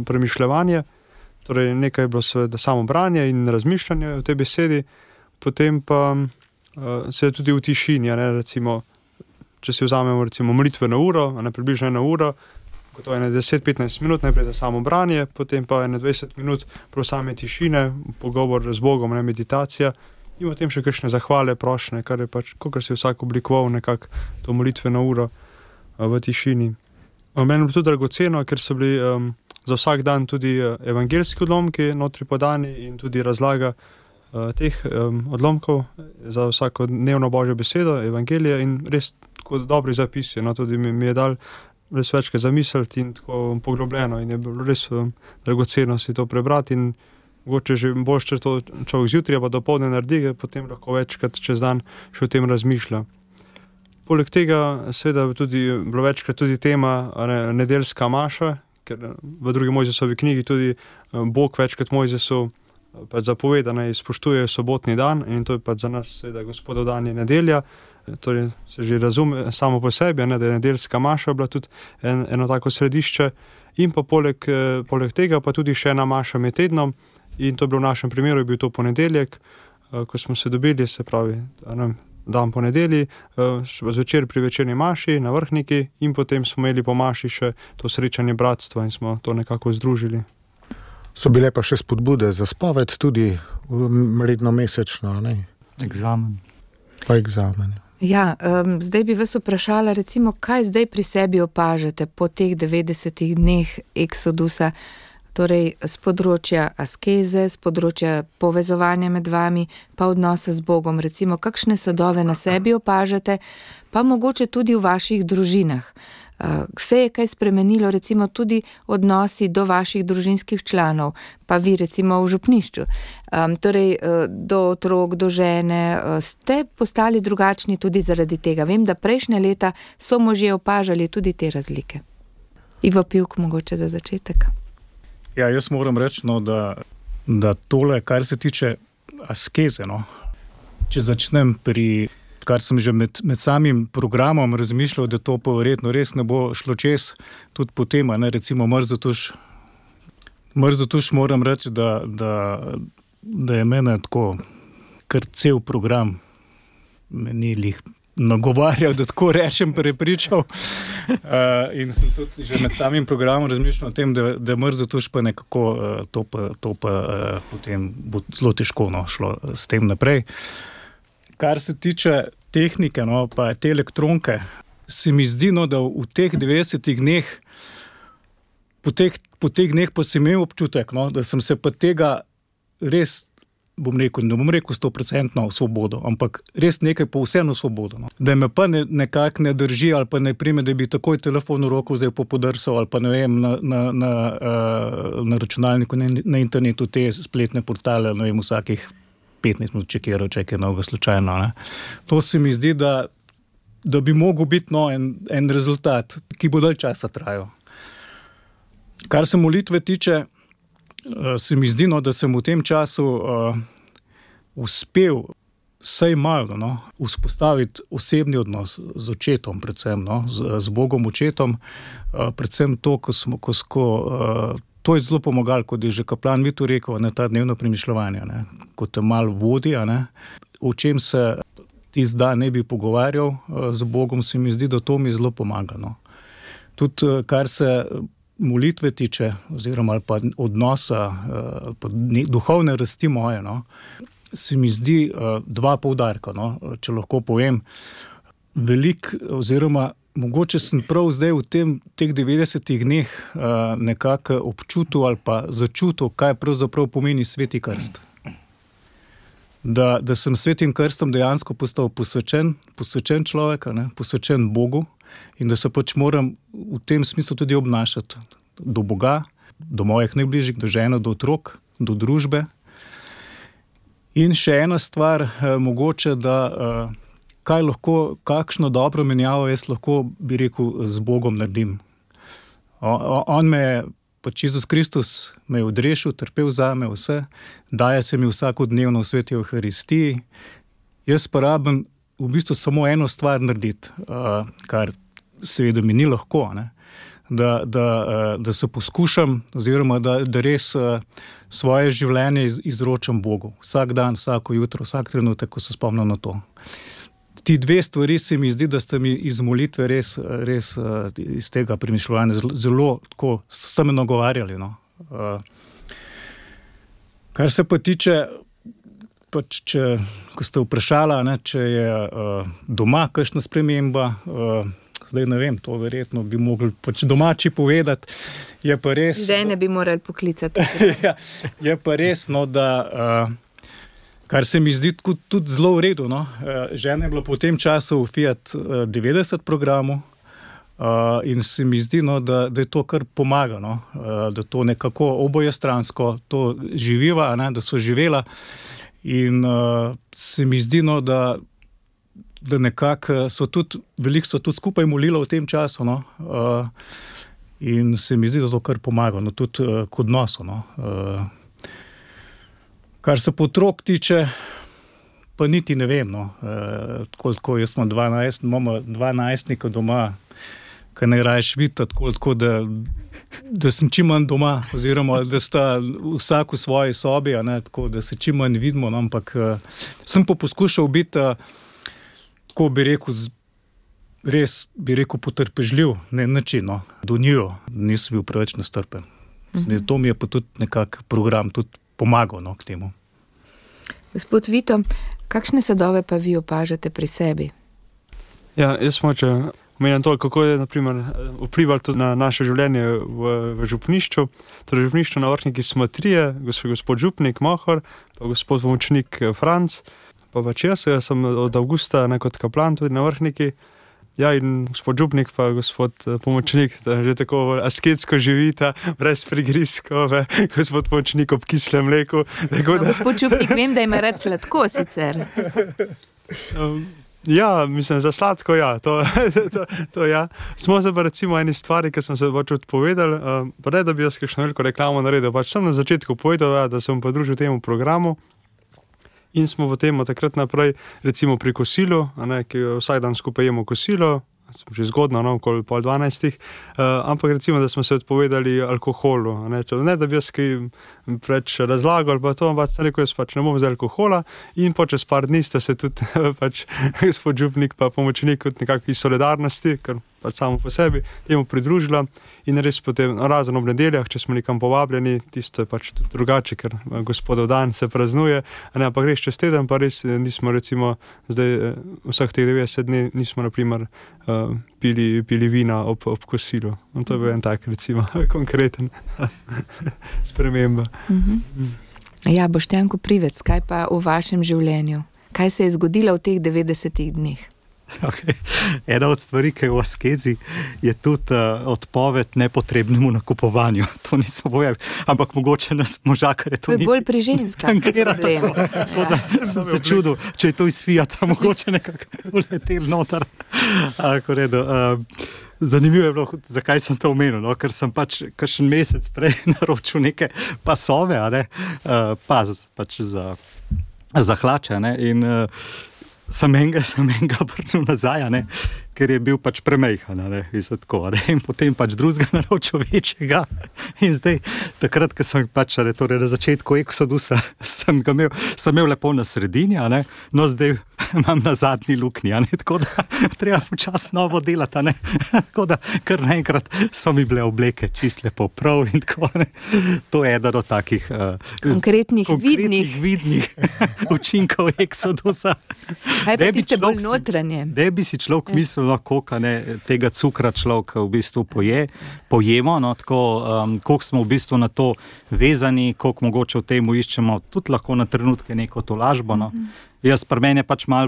premišljevanje, torej nekaj je bilo seveda samo branje in razmišljanje o tej besedi, potem pa se je tudi v tišini, recimo, če si vzamemo recimo molitveno uro, približno 1 uro, gotovo 10-15 minut najprej za samo branje, potem pa 20 minut prav same tišine, pogovor z Bogom, meditacija, in potem še kakšne zahvale, prošnje, kar je pač, kakor si vsak oblikoval nekako to molitveno uro v tišini. Meni je bilo tudi dragoceno, ker so bili za vsak dan tudi evangeljski odlomki notri podani in tudi razlaga teh odlomkov za vsako dnevno Božjo besedo, evangelije in res tako dobri zapisi, tudi mi je dal res večkrat zamisliti in tako poglobljeno in je bilo res dragoceno si to prebrati in mogoče že boljše, če to človek zjutraj pa dopoldne naredi, potem lahko večkrat čez dan še o tem razmišlja. Poleg tega seveda tudi bilo večkrat tudi tema nedeljska maša, ker v drugi Mojzesovi knjigi tudi Bog večkrat Mojzesu pač zapoveda, naj spoštuje sobotni dan in to je pač za nas seveda Gospodov dan je nedelja, torej se že razume samo po sebi, da je nedeljska maša bila tudi eno tako središče in pa poleg tega pa tudi še ena maša med tednom. In to je bilo v našem primeru, je bil to ponedeljek, ko smo se dobili, se pravi, dan po nedelji, zvečer pri večerni maši na Vrhniki in potem smo imeli po maši še to srečanje bratstva in smo to nekako združili. So bile pa še spodbude za spoved, tudi redno mesečno, ne? Egzamen. Pa egzamen. Ja, zdaj bi vas vprašala, recimo, kaj zdaj pri sebi opažate po teh 90 dneh eksodusa, torej z področja askeze, z področja povezovanja med vami, pa odnosa z Bogom, recimo, kakšne sadove na sebi opažate, pa mogoče tudi v vaših družinah. Se je kaj spremenilo, recimo tudi odnosi do vaših družinskih članov, pa vi recimo v župnišču, torej do otrok, do žene, ste postali drugačni tudi zaradi tega. Vem, da prejšnje leta so možje opažali tudi te razlike. Ivo Pivk, mogoče za začetek. Ja, jaz moram reči, da tole, kar se tiče askeze, če začnem pri, kar sem že med samim programom razmišljal, da to pa verjetno res ne bo šlo čez, tudi po tem, recimo mrzotuš moram reči, da je mene tako kar cel program meni lih nagovarjal, da tako rečem, prepričal. In sem tudi že med samim programom razmišljal o tem, da mrzotuš pa nekako to pa potem bo zelo težko šlo s tem naprej. Kar se tiče tehnike, pa te elektronke, se mi zdi, da v teh 90 dneh, po teh dneh pa sem imel občutek, da sem se pa tega res, ne bom rekel 100% svobodo, ampak res nekaj po vseeno svobodo. Da me pa nekako ne drži ali pa ne prime, da bi takoj telefon v roko vzel po podrsal ali pa ne vem, na računalniku, na internetu te spletne portale, ne vem, vsakih 15 minut čekiral novega slučajno. To se mi zdi, da bi mogel biti en rezultat, ki bo dalj časa trajal. Kar se molitve tiče, se mi zdi, da sem v tem času uspel vsaj malo vzpostaviti osebni odnos z očetom, predvsem z Bogom očetom, predvsem to, to je zelo pomagalo, kot je že kaplan Vito rekel, ta dnevno premišljevanje, ko te malo vodi, o čem se tisti dan ne bi pogovarjal z Bogom, se mi zdi, da to mi zelo pomaga. Tudi kar se molitve tiče, oziroma pa odnosa, pa duhovne rasti moje, se mi zdi dva poudarka, če lahko povem. Velik, oziroma mogoče sem prav zdaj v teh 90 dneh nekako občutil ali pa začutil, kaj pravzaprav pomeni sveti krst. Da sem svetim krstom dejansko postal posvečen človek, posvečen Bogu in da se pač moram v tem smislu tudi obnašati do Boga, do mojih najbližjih, do žene, do otrok, do družbe. In še ena stvar, mogoče, da kakšno dobro menjavo jaz lahko, bi rekel, z Bogom naredim. On me je pač Jezus Kristus me je odrešil, trpel zame vse, daje se mi vsakodnevno v sveti Evharistiji. Jaz pa rabim v bistvu samo eno stvar narediti, kar seveda mi ni lahko, ne? Da se poskušam, oziroma da res svoje življenje izročam Bogu. Vsak dan, vsako jutro, vsak trenutek, ko se spomnim na to. Ti dve stvari se mi zdi, da sta mi iz molitve res iz tega premišljanja zelo tako, sta me nagovarjali. No. Kar se pa tiče, pač ko ste vprašala, ne, če je doma kakšna sprememba, zdaj ne vem, to verjetno bi mogli pač domači povedati, je pa res... Zdaj ne bi morali poklicati. Ja, je pa res, no, da... Kar se mi zdi tudi zelo v redu. No. Žena je bila po tem času v Fiat 90 programu in se mi zdi, no, da je to kar pomaga, no. Da to nekako obojestransko to živiva, ne, da so živela in se mi zdi, no, da nekako so tudi, veliko so tudi skupaj molila v tem času, no. In se mi zdi, da to kar pomaga, no, tudi k odnosu, no. Kar se potrok tiče, pa niti ne vem, no, koliko jaz imam 12 doma, kaj najraješ videti, tako da sem čim manj doma, oziroma da sta vsak v svoji sobi, ne, tako da se čim manj vidimo, no, ampak sem pa poskušal biti, tako bi rekel, res bi rekel potrpežljiv, ne način, no, do njo, nisem bil preveč nestrpen. To mi je pa tudi nekak program, tudi pomagal, no, k temu. Gospod Vito, kakšne sadove pa vi opažate pri sebi? Ja, jaz moče omenjam to, kako je naprimer vplivalo tudi na naše življenje v župnišču. Torej, v župnišču na Vrhniki smo trije, gospod župnik Mohor, pa gospod pomočnik Franc, pa pač jaz sem od avgusta kot kaplan tudi na Vrhniki. Ja, in gospod župnik pa gospod pomočnik, že tako asketsko živita, brez prigrizkov, gospod pomočnik ob kislem mleku. No, gospod župnik, vem, da ima rad sladko sicer. Ja, mislim, za sladko, ja, to ja. Smo se pa recimo eni stvari, ki sem se pač odpovedal, pa ne, da bi jaz kakšno veliko reklamo naredil, pač sem na začetku povedal, ja, da sem podružil temu programu. In smo potem od takrat naprej, recimo pri kosilu, ki vsak dan skupaj jemo kosilo, že zgodno, okoli 11:30, ampak recimo, da smo se odpovedali alkoholu. Ne, da bi jaz kaj preč razlagal, pa to, ampak sem rekel, jaz pač ne bom zdaj alkohola in po čez par dni sta se tudi pač gospod župnik pa pomočnik od nekakvih solidarnosti, ker pač samo po sebi, temu pridružila in res potem, razen ob nedeljah, če smo nekam povabljeni, tisto je pač tudi drugače, ker gospodov dan se praznuje, ampak res čez teden pa res nismo recimo zdaj vseh teh 90 dni nismo naprimer pili vina ob kosilu. In to je bil en tak recimo konkreten sprememba. Ja, Boštjan Koprivec, kaj pa v vašem življenju? Kaj se je zgodilo v teh 90 dneh? Okay. Ena od stvari, ki je v askezi, je tudi odpoved nepotrebnemu nakupovanju. To nismo povedali, ampak mogoče nas možakar je to. To je bolj pri ženskah problem. Ja. Sem se čudil, če je to iz Fiata, mogoče nekako uletel noter. Zanimivo je bilo, zakaj sem to omenil, no? Ker sem pač kakšen mesec prej naročil neke pasove, pač za hlače, ne? In sem enega vrnil nazaj, ne? Ker je bil pač premejhan, in potem pač drugega naročil večjega in zdaj, takrat, ko sem pač torej na začetku Exodusa sem imel lepo na sredini, no zdaj imam na zadnji luknji, tako da treba počas novo delati, tako da kar naenkrat so mi bile obleke čist lepo prav in tako, to je eden od takih konkretnih vidnih učinkov Exodusa. Kaj pa tiste bolj notranje? Da bi si človek mislil, koliko tega cukra človek v bistvu pojemo, tako, koliko smo v bistvu na to vezani, koliko mogoče v temu iščemo tudi lahko na trenutke neko tolažbo. Jaz pri meni je pač malo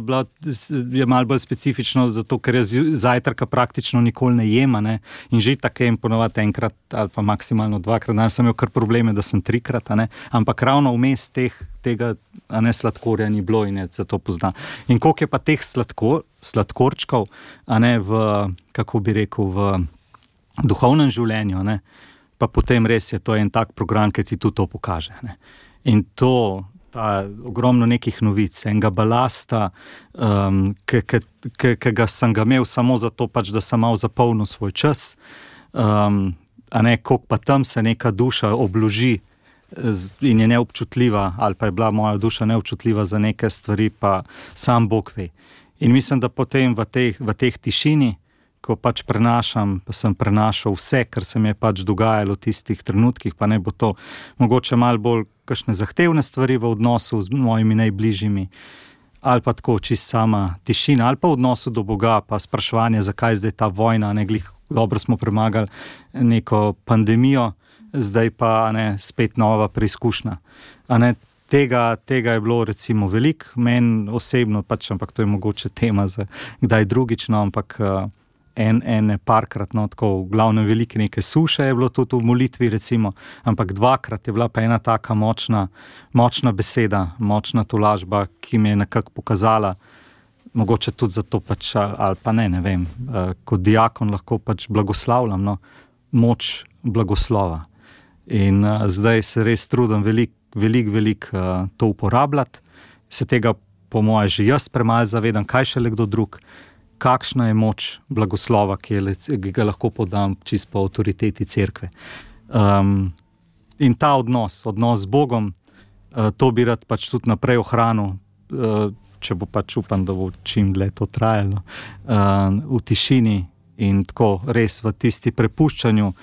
bolj specifično, zato ker jaz zajtrka praktično nikoli ne jem, in že tako jem ponovati enkrat ali pa maksimalno dvakrat, sem imel kar probleme, da sem trikrat, ampak ravno vmes tega sladkorja ni bilo in je zato poznam. In koliko je pa teh sladkorčkov, v, kako bi rekel, v duhovnem življenju, pa potem res je to en tak program, ki ti tudi to pokaže. Ne. In to, ta ogromno nekih novic, enega balasta, ki ga sem ga imel samo zato, pač, da sem malo zapolnil svoj čas, a ne, koliko pa tam se neka duša obloži in je neobčutljiva, ali pa je bila moja duša neobčutljiva za neke stvari, pa sam Bog ve. In mislim, da potem v teh tišini, ko pač prenašam, pa sem prenašal vse, kar se mi je pač dogajalo v tistih trenutkih, pa ne bo to mogoče malo bolj kakšne zahtevne stvari v odnosu z mojimi najbližjimi, ali pa tako čist sama tišina, ali pa v odnosu do Boga, pa spraševanje, zakaj zdaj ta vojna, ne glih, dobro smo premagali neko pandemijo, zdaj pa ne, spet nova preizkušnja. A ne, tega je bilo recimo veliko, meni osebno pač, ampak to je mogoče tema za kdaj drugič, no, ampak ene parkrat, no, tako v glavnem velike neke suše je bilo tudi v molitvi recimo, ampak dvakrat je bila pa ena taka močna beseda, močna tolažba, ki mi je nekako pokazala, mogoče tudi zato pač, ali pa ne vem, kot diakon lahko pač blagoslavljam, no, moč blagoslova. In zdaj se res trudim veliko to uporabljati, se tega po moje že jaz premalo zavedam, kaj še le kdo drug, kakšna je moč blagoslova, ki ga lahko podam čisto po avtoriteti cerkve. In ta odnos z Bogom, to bi rad pač tudi naprej ohranil, če bo pač upam, da bo čim dlje to trajalo, v tišini in tako res v tisti prepuščanju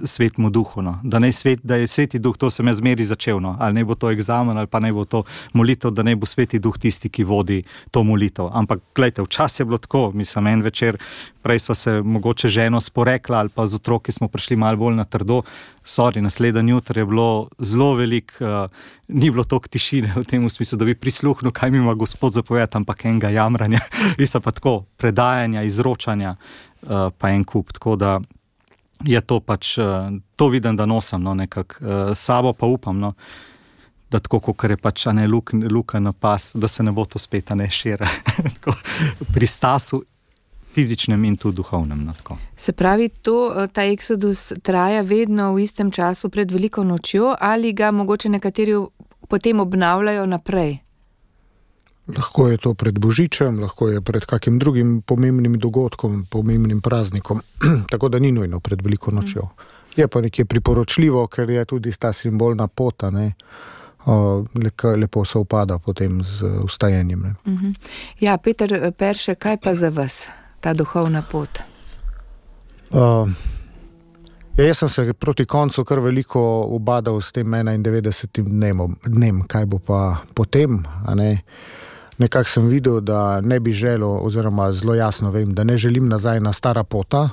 svetmu duhu, no. Da je sveti duh, to sem jaz zmeri začel, no. Ali ne bo to egzamen, ali pa ne bo to molitev, da ne bo sveti duh tisti, ki vodi to molitev. Ampak glejte, včasih je bilo tako, mislim, en večer, prej sva se mogoče ženo sporekla, ali pa z otroki smo prišli malo bolj na trdo, naslednji jutri je bilo zelo veliko, ni bilo toliko tišine v tem smislu, da bi prisluhnil, kaj mi ima Gospod zapovedati, ampak enega jamranja, mislim pa tako, predajanja, izročanja, pa en kup, tako da je to pač, to vidim, da nosim, no, nekako, sabo pa upam, no, da tako, kot je pač, ne, luka na pas, da se ne bo to spet, ne, šira, pri stasu fizičnem in tudi duhovnem, no, tako. Se pravi, ta eksodus traja vedno v istem času pred veliko nočjo, ali ga mogoče nekateri potem obnavljajo naprej? Lahko je to pred Božičem, lahko je pred kakim drugim pomembnim dogodkom, pomembnim praznikom, tako da ni nujno pred veliko nočjo. Je pa nekje priporočljivo, ker je tudi ta simbolna pota, ne, lepo se upada potem z vstajenjem. Ne. Ja, Peter Perše, kaj pa za vas ta duhovna pot? Jaz sem se proti koncu kar veliko ubadal s tem 91. dnem, kaj bo pa potem, a ne. Nekako sem videl, da ne bi želel, oziroma zelo jasno vem, da ne želim nazaj na stara pota,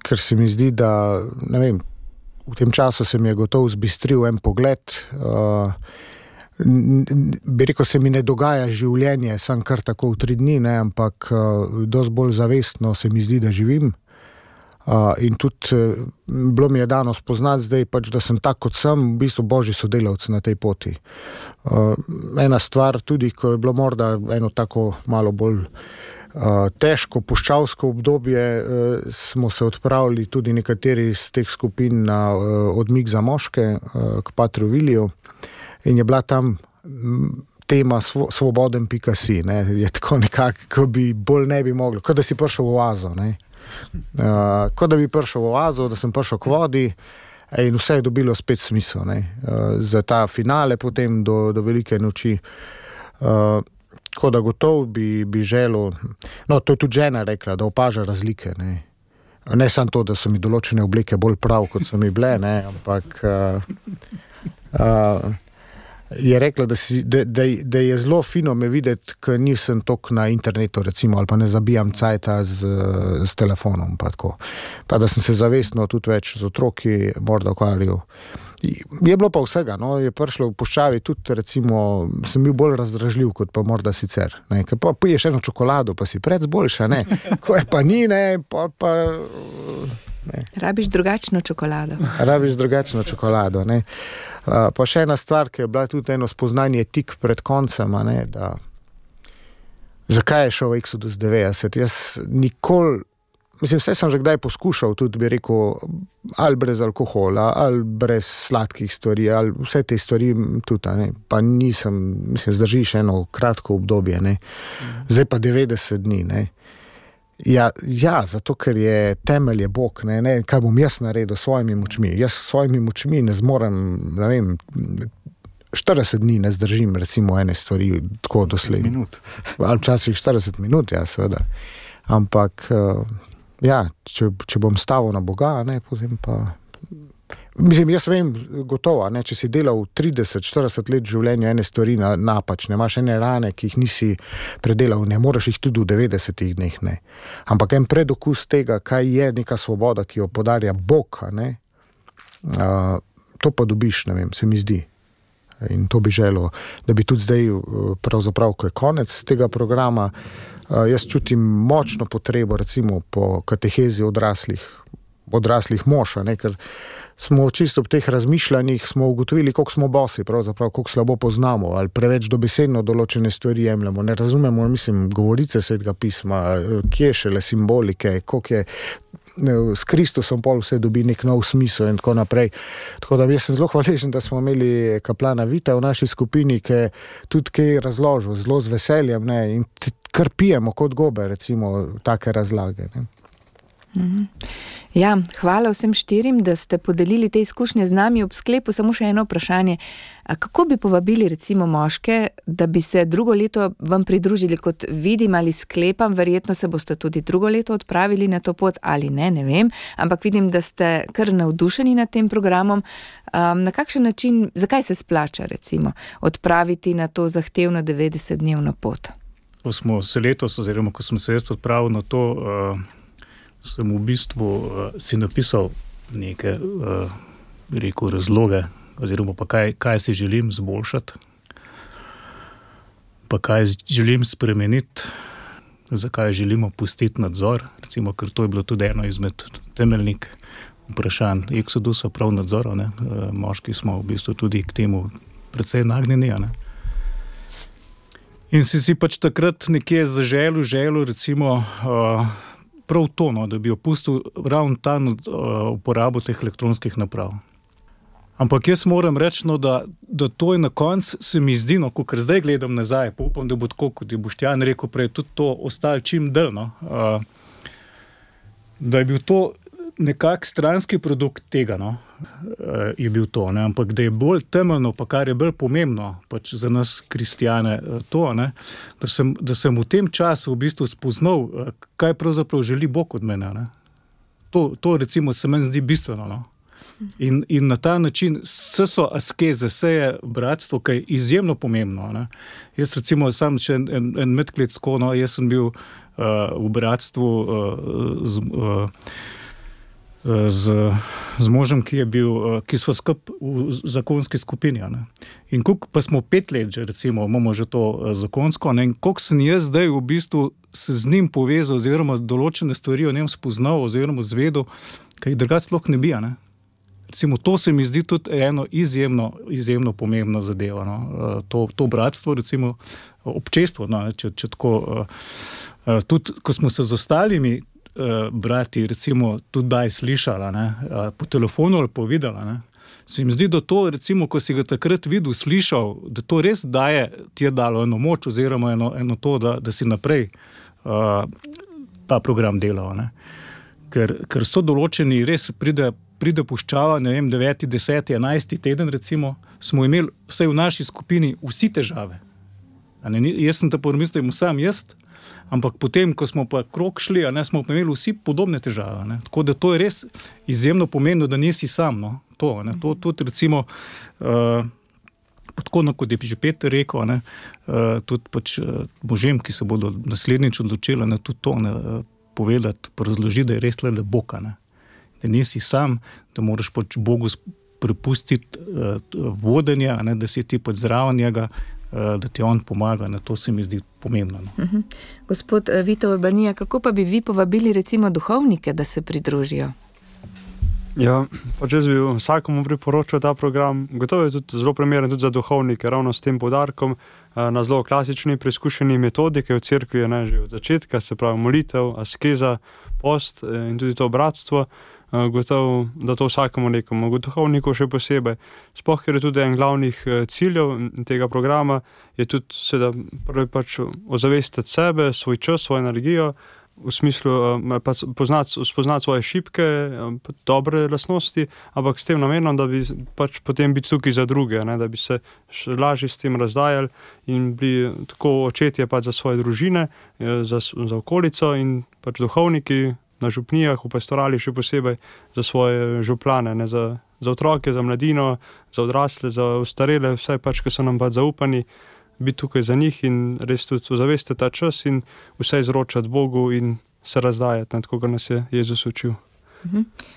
ker se mi zdi, da, ne vem, v tem času se mi je gotovo zbistril en pogled, bi rekel, se mi ne dogaja življenje, sem kar tako v 3 dni, ne, ampak dosti bolj zavestno se mi zdi, da živim. In tudi bilo mi je dano spoznati zdaj, pač, da sem tak, kot sem, v bistvu božji sodelavc na tej poti. Ena stvar tudi, ko je bilo morda eno tako malo bolj težko puščavsko obdobje, smo se odpravili tudi nekateri iz teh skupin na odmik za moške k Patru Viliju in je bila tam tema svoboden.si, ne, je tako nekako, ko bi bolj ne bi moglo, kot da si prišel v oazo, ne. Kot da bi prišel v oazo, da sem prišel k vodi in vse je dobilo spet smisel, ne, za ta finale potem do velike noči. Tako da gotovo bi želel, no, to je tudi žena rekla, da opaža razlike, ne. Ne samo to, da so mi določene obleke bolj prav, kot so mi bile, ne, ampak je rekla, da je zelo fino me videti, ker nisem toliko na internetu recimo, ali pa ne zabijam cajta z telefonom, pa tako. Pa da sem se zavestno tudi več z otroki morda ukvarjal. Je bilo pa vsega, no, je prišlo v puščavi tudi recimo, sem bil bolj razdražljiv kot pa morda sicer, ne, ker pa piješ eno čokolado, pa si prec boljša, ne, ko je pa ni, ne, pa ne. Rabiš drugačno čokolado. Ne. Pa še ena stvar, ki je bila tudi eno spoznanje tik pred koncem, ne, da zakaj je šel Exodus 90? Jaz nikoli mislim, vse sem že kdaj poskušal, tudi bi rekel, ali brez alkohola, ali brez sladkih stvari, ali vse te stvari tudi, ne. Pa nisem, mislim, zdržiš eno kratko obdobje, ne. Zdaj pa 90 dni, ne. Ja, zato, ker je temelj je Bog, ne, kaj bom jaz naredil s svojimi močmi. Jaz s svojimi močmi ne zmorem, ne vem, 40 dni ne zdržim, recimo, ene stvari tako doslej. Minut. Ali včasih 40 minut, ja, seveda. Ampak, ja, če bom stavil na Boga, ne, potem pa... Mislim, jaz vem gotovo, ne, če si delal 30-40 let v življenju ene stvari napačne, imaš ene rane, ki jih nisi predelal, ne moreš jih tudi v 90 dneh, ne. Ampak en predokus tega, kaj je neka svoboda, ki jo podarja Bog, ne, to pa dobiš, ne vem, se mi zdi. In to bi želel, da bi tudi zdaj, pravzaprav, ko je konec tega programa, jaz čutim močno potrebo, recimo, po katehezi odraslih mož, ne, ker smo čisto v teh razmišljanjih smo ugotovili, koliko smo bosi, pravzaprav, koliko slabo poznamo, ali preveč dobesedno določene stvari jemljamo, ne razumemo, mislim, govorice Svetega pisma, kje šele simbolike, koliko je s Kristusom pol vse dobi nek nov smisel in tako naprej. Tako da jaz sem zelo hvaležen, da smo imeli kaplana Vita v naši skupini, ki tudi kaj razložil, zelo z veseljem, ne, in kar pijemo kot gobe, recimo, take razlage, ne. Ja, hvala vsem štirim, da ste podelili te izkušnje z nami. Ob sklepu samo še eno vprašanje. A kako bi povabili recimo moške, da bi se drugo leto vam pridružili, kot vidim ali sklepam, verjetno se boste tudi drugo leto odpravili na to pot ali ne vem, ampak vidim, da ste kar navdušeni nad tem programom. Na kakšen način, zakaj se splača recimo odpraviti na to zahtevno 90-dnevno pot? Ko smo se letos, oziroma ko sem se jaz odpravil na to, sem v bistvu si napisal neke, rekel, razloge, oziroma pa kaj si želim zboljšati, pa kaj želim spremeniti, zakaj želimo pustiti nadzor, recimo, ker to je bilo tudi eno izmed temeljnih vprašanj Exodusa, prav nadzora, ne. Moški smo v bistvu tudi k temu precej nagnjeni, ne. In si pač takrat nekje zaželil, recimo, prav to, no, da bi opustil ravno ta uporabo teh elektronskih naprav. Ampak jaz moram reči, no, da to je na koncu, se mi zdi, no, ker zdaj gledam nazaj, pa upam, da bo tako, kot je Boštjan rekel prej, tudi to ostalo čim dlje, no, da je bil to nekak stranski produkt tega, no, je bil to, ne, ampak da je bolj temeljno, pa kar je bolj pomembno, pač za nas kristjane, to, ne, da sem v tem času v bistvu spoznal, kaj pravzaprav želi Bog od mene, ne. To recimo se meni zdi bistveno, no. In na ta način vse so askeze, vse je bratstvo, kaj je izjemno pomembno, ne. Jaz recimo sam še en medklic, no, jaz sem bil v bratstvu z možem, ki smo skupaj v zakonski skupini, ne. In pa smo 5 let že, recimo, imamo že to zakonsko, ne, in koliko sem jaz zdaj v bistvu se z njim povezal, oziroma določene stvari o njem spoznal, oziroma zvedel, kaj drugače sploh ne bi, ne. Recimo, to se mi zdi tudi eno izjemno pomembno zadevo, no. To bratstvo, recimo, občestvo, no, če tako, tudi, ko smo se z ostalimi brati, recimo, tudi daj slišala, ne, po telefonu ali po videla, ne. Se mi zdi, da to, recimo, ko si ga takrat videl, slišal, da to res ti je dalo eno moč, oziroma eno to, da si naprej ta program delal, ne. Ker so določeni, res pride puščava, ne vem, 9., 10., 11. teden, recimo, smo imeli vsaj v naši skupini vsi težave. Jaz sem te pomislil, sam jaz, ampak potem, ko smo pa krog šli, smo pa imeli vsi podobne težave, ne. Tako da to je res izjemno pomembno, da nisi sam, no. To tudi, recimo, tako, kot je že Peter rekel, ne, tudi pač možem, ki se bodo naslednjič odločili, ne, tudi to, ne, povedati, razložiti, da je res le Bog, ne. Da nisi sam, da moraš pač Bogu prepustiti vodenje, ne, da si ti pač zraven njega, da ti on pomaga, ne, to se mi zdi pomembno. No. Gospod Vito Urbanija, kako pa bi vi povabili recimo duhovnike, da se pridružijo? Ja, pač jaz bi vsakomu priporočil ta program. Gotovo je tudi zelo primeren tudi za duhovnike, ravno s tem poudarkom na zelo klasični preizkušeni metodike v cerkvi, že od začetka, se pravi molitev, askeza, post in tudi to bratstvo. Gotovo, da to vsakemu nekomu, duhovniku še posebej. Sploh, ker je tudi en glavnih ciljev tega programa, je tudi seveda prvi pač ozavestiti sebe, svoj čas, svojo energijo, v smislu spoznati svoje šibke, dobre lastnosti, ampak s tem namenom, da bi pač potem biti tukaj za druge, da bi se lažje s tem razdajali in bili tako očetje pač za svoje družine, za okolico in pač duhovniki na župnijah, v pastorali še posebej za svoje župlane, za otroke, za mladino, za odrasle, za ostarele, vse pač, ki so nam pač zaupani, biti tukaj za njih in res tudi zavestiti ta čas in vse izročati Bogu in se razdajati, tako kot nas je Jezus učil.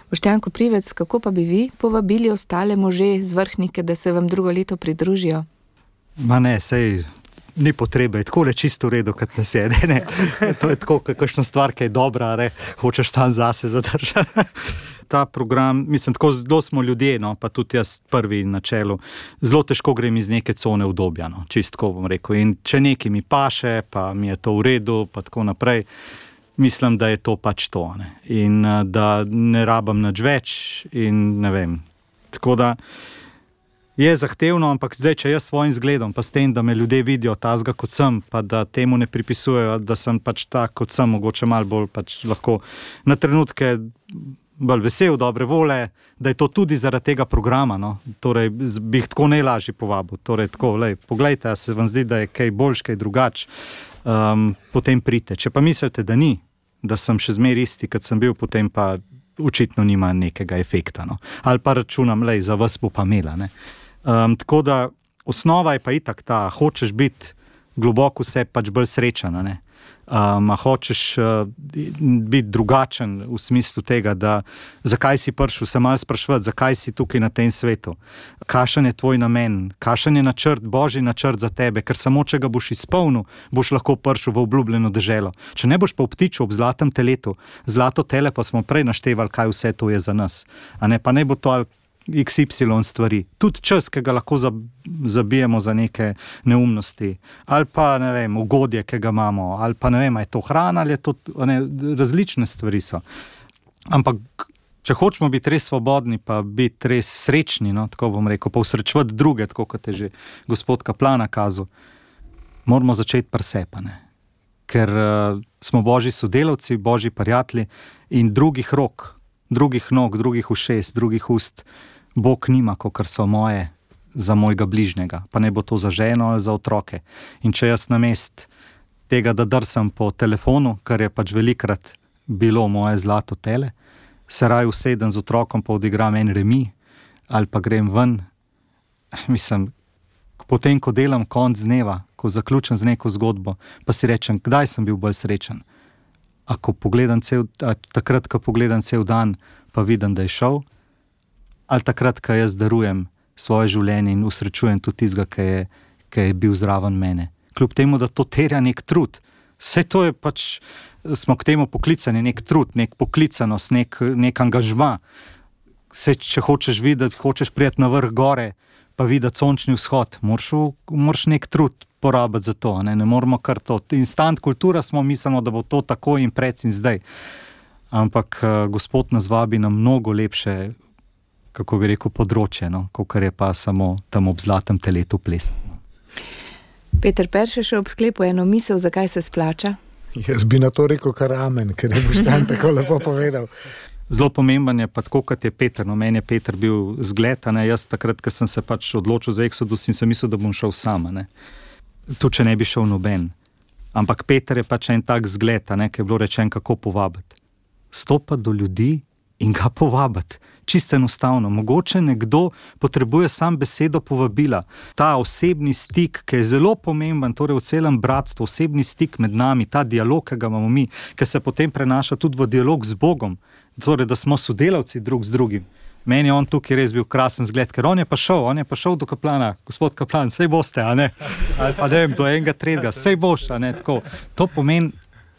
Boštjan Koprivec, kako pa bi vi povabili ostale može z Vrhnike, da se vam drugo leto pridružijo? Ma ne, sej ni potrebe, je tako le čisto v redu, kot nas je. Ne. To je tako, kakšna stvar, ki je dobra, hočeš sam zase zadržati. Ta program, mislim, tako zelo smo ljudje, pa tudi jaz prvi na čelu, zelo težko grem iz neke cone udobja, čistko bom rekel. In če nekaj mi paše, pa mi je to v redu, pa tako naprej, mislim, da je to pač to. In da ne rabim nič več in ne vem. Tako da je zahtevno, ampak zdaj, če jaz svojim zgledom, pa s tem, da me ljudje vidijo tazga kot sem, pa da temu ne pripisujejo, da sem pač tak kot sem, mogoče malo bolj pač lahko na trenutke bolj vesel, dobre vole, da je to tudi zaradi tega programa, Torej, bi jih tako najlažje povabil. Torej, tako, poglejte, a se vam zdi, da je kaj boljš, kaj drugač, potem pridite. Če pa mislite, da ni, da sem še zmer isti, kot sem bil, potem pa očitno nima nekega efekta, Ali pa računam, za vas bo pa imela, tako da osnova je pa itak ta, hočeš biti globoko vse pač bolj srečen, hočeš biti drugačen v smislu tega, da zakaj si prišel, se malo spraševati, zakaj si tukaj na tem svetu, kakšen je tvoj namen, kakšen je načrt, božji načrt za tebe, ker samo če ga boš izpolnil, boš lahko prišel v obljubljeno deželo. Če ne boš pa obtičil ob zlatem teletu, zlato tele pa smo prej naštevali, kaj vse to je za nas, pa ne bo to XY stvari, tudi čas, ki ga lahko zabijemo za neke neumnosti, ali pa, ne vem, ugodje, ki ga imamo, ali pa, ne vem, je to hrana, ali je to, različne stvari so. Ampak, če hočemo biti res svobodni, pa biti res srečni, tako bom rekel, pa usrečevati druge, tako kot je že gospod Kaplan kazal, moramo začeti pri sebi, ker smo božji sodelavci, božji prijatelji in drugih rok, drugih nog, drugih ušes, drugih ust Bog nima, kakor so moje za mojega bližnjega, pa ne bo to za ženo ali za otroke. In če jaz namest tega, da drsam po telefonu, kar je pač velikrat bilo moje zlato tele, se raje usedem z otrokom, pa odigram en remi, ali pa grem ven. Mislim, potem, ko delam konc dneva, ko zaključim z neko zgodbo, pa si rečem, kdaj sem bil bolj srečen. Takrat, ko pogledam cel dan, pa vidim, da je šel, ali takrat, ko jaz darujem svoje življenje in usrečujem tudi tistega, ki je bil zraven mene. Kljub temu, da to terja nek trud. Vse to je pač, smo k temu poklicani, nek trud, nek poklicanost, nek angažma. Vse, če hočeš videti, hočeš prijeti na vrh gore, pa videti sončni vzhod, moraš nek trud porabiti za to, ne moramo kar to. Instant kultura smo, mislimo, da bo to tako in pred in zdaj. Ampak Gospod nas vabi na mnogo lepše, kako bi rekel, področje, kakor je pa samo tam ob zlatem teletu ples. Peter Perše še ob sklepu eno misel, zakaj se splača? Jaz bi na to rekel kar amen, ker je Boštjan tako lepo povedal. Zelo pomemben je pa tako, kot je Peter. Meni je Peter bil zgled, jaz takrat, ko sem se pač odločil za Exodus in sem mislil, da bom šel sam, Tu, če ne bi šel noben. Ampak Peter je pač en tak zgled, ki je bilo rečen, kako povabiti. Stopati do ljudi in ga povabiti. Čisto enostavno. Mogoče nekdo potrebuje sam besedo povabila. Ta osebni stik, ki je zelo pomemben, torej v celem bratstvu, osebni stik med nami, ta dialog, ki ga imamo mi, ki se potem prenaša tudi v dialog z Bogom, torej da smo sodelavci drug z drugim. Meni je on tukaj res bil krasen zgled, ker on je pa šel do Kaplana, gospod Kaplan, sej boste, ali pa ne vem, do enega tretjega, sej boš, tako. To pomeni,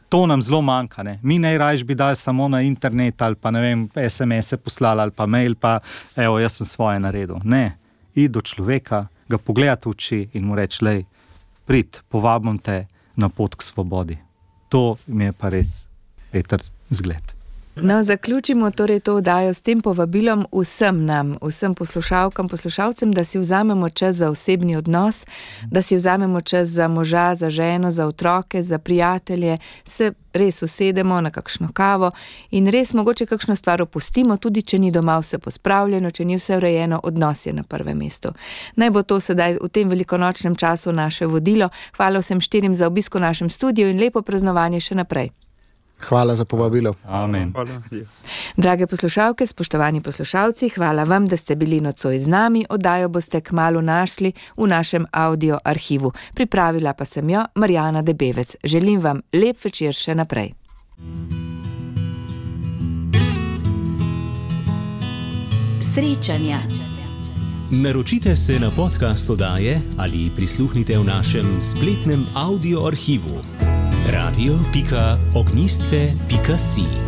To nam zelo manjka. Ne? Mi najrajš bi dali samo na internet ali pa ne vem, SMS-e poslali ali pa mail, pa evo, jaz sem svoje naredil. Ne, id do človeka, ga pogledati v oči in mu reči, lej, prid, povabim te na pot k svobodi. To mi je pa res, Peter, zgled. No, zaključimo torej to oddajo s tem povabilom vsem nam, vsem poslušalkam, poslušalcem, da si vzamemo čas za osebni odnos, da si vzamemo čas za moža, za ženo, za otroke, za prijatelje, se res usedemo na kakšno kavo in res mogoče kakšno stvar opustimo, tudi če ni doma vse pospravljeno, če ni vse urejeno, odnos je na prvem mestu. Naj bo to sedaj v tem velikonočnem času naše vodilo. Hvala vsem 4 za obisk v našem studiu in lepo praznovanje še naprej. Hvala za povabilo. Amen. Hvala. Drage poslušalke, spoštovani poslušalci, hvala vam, da ste bili nocoj z nami. Oddajo boste kmalu našli v našem audio arhivu. Pripravila pa sem jo Marjana Debevec. Želim vam lep večer še naprej. Srečanja. Naročite se na podcast oddaje ali prisluhnite v našem spletnem audio arhivu radio.ognjisce.si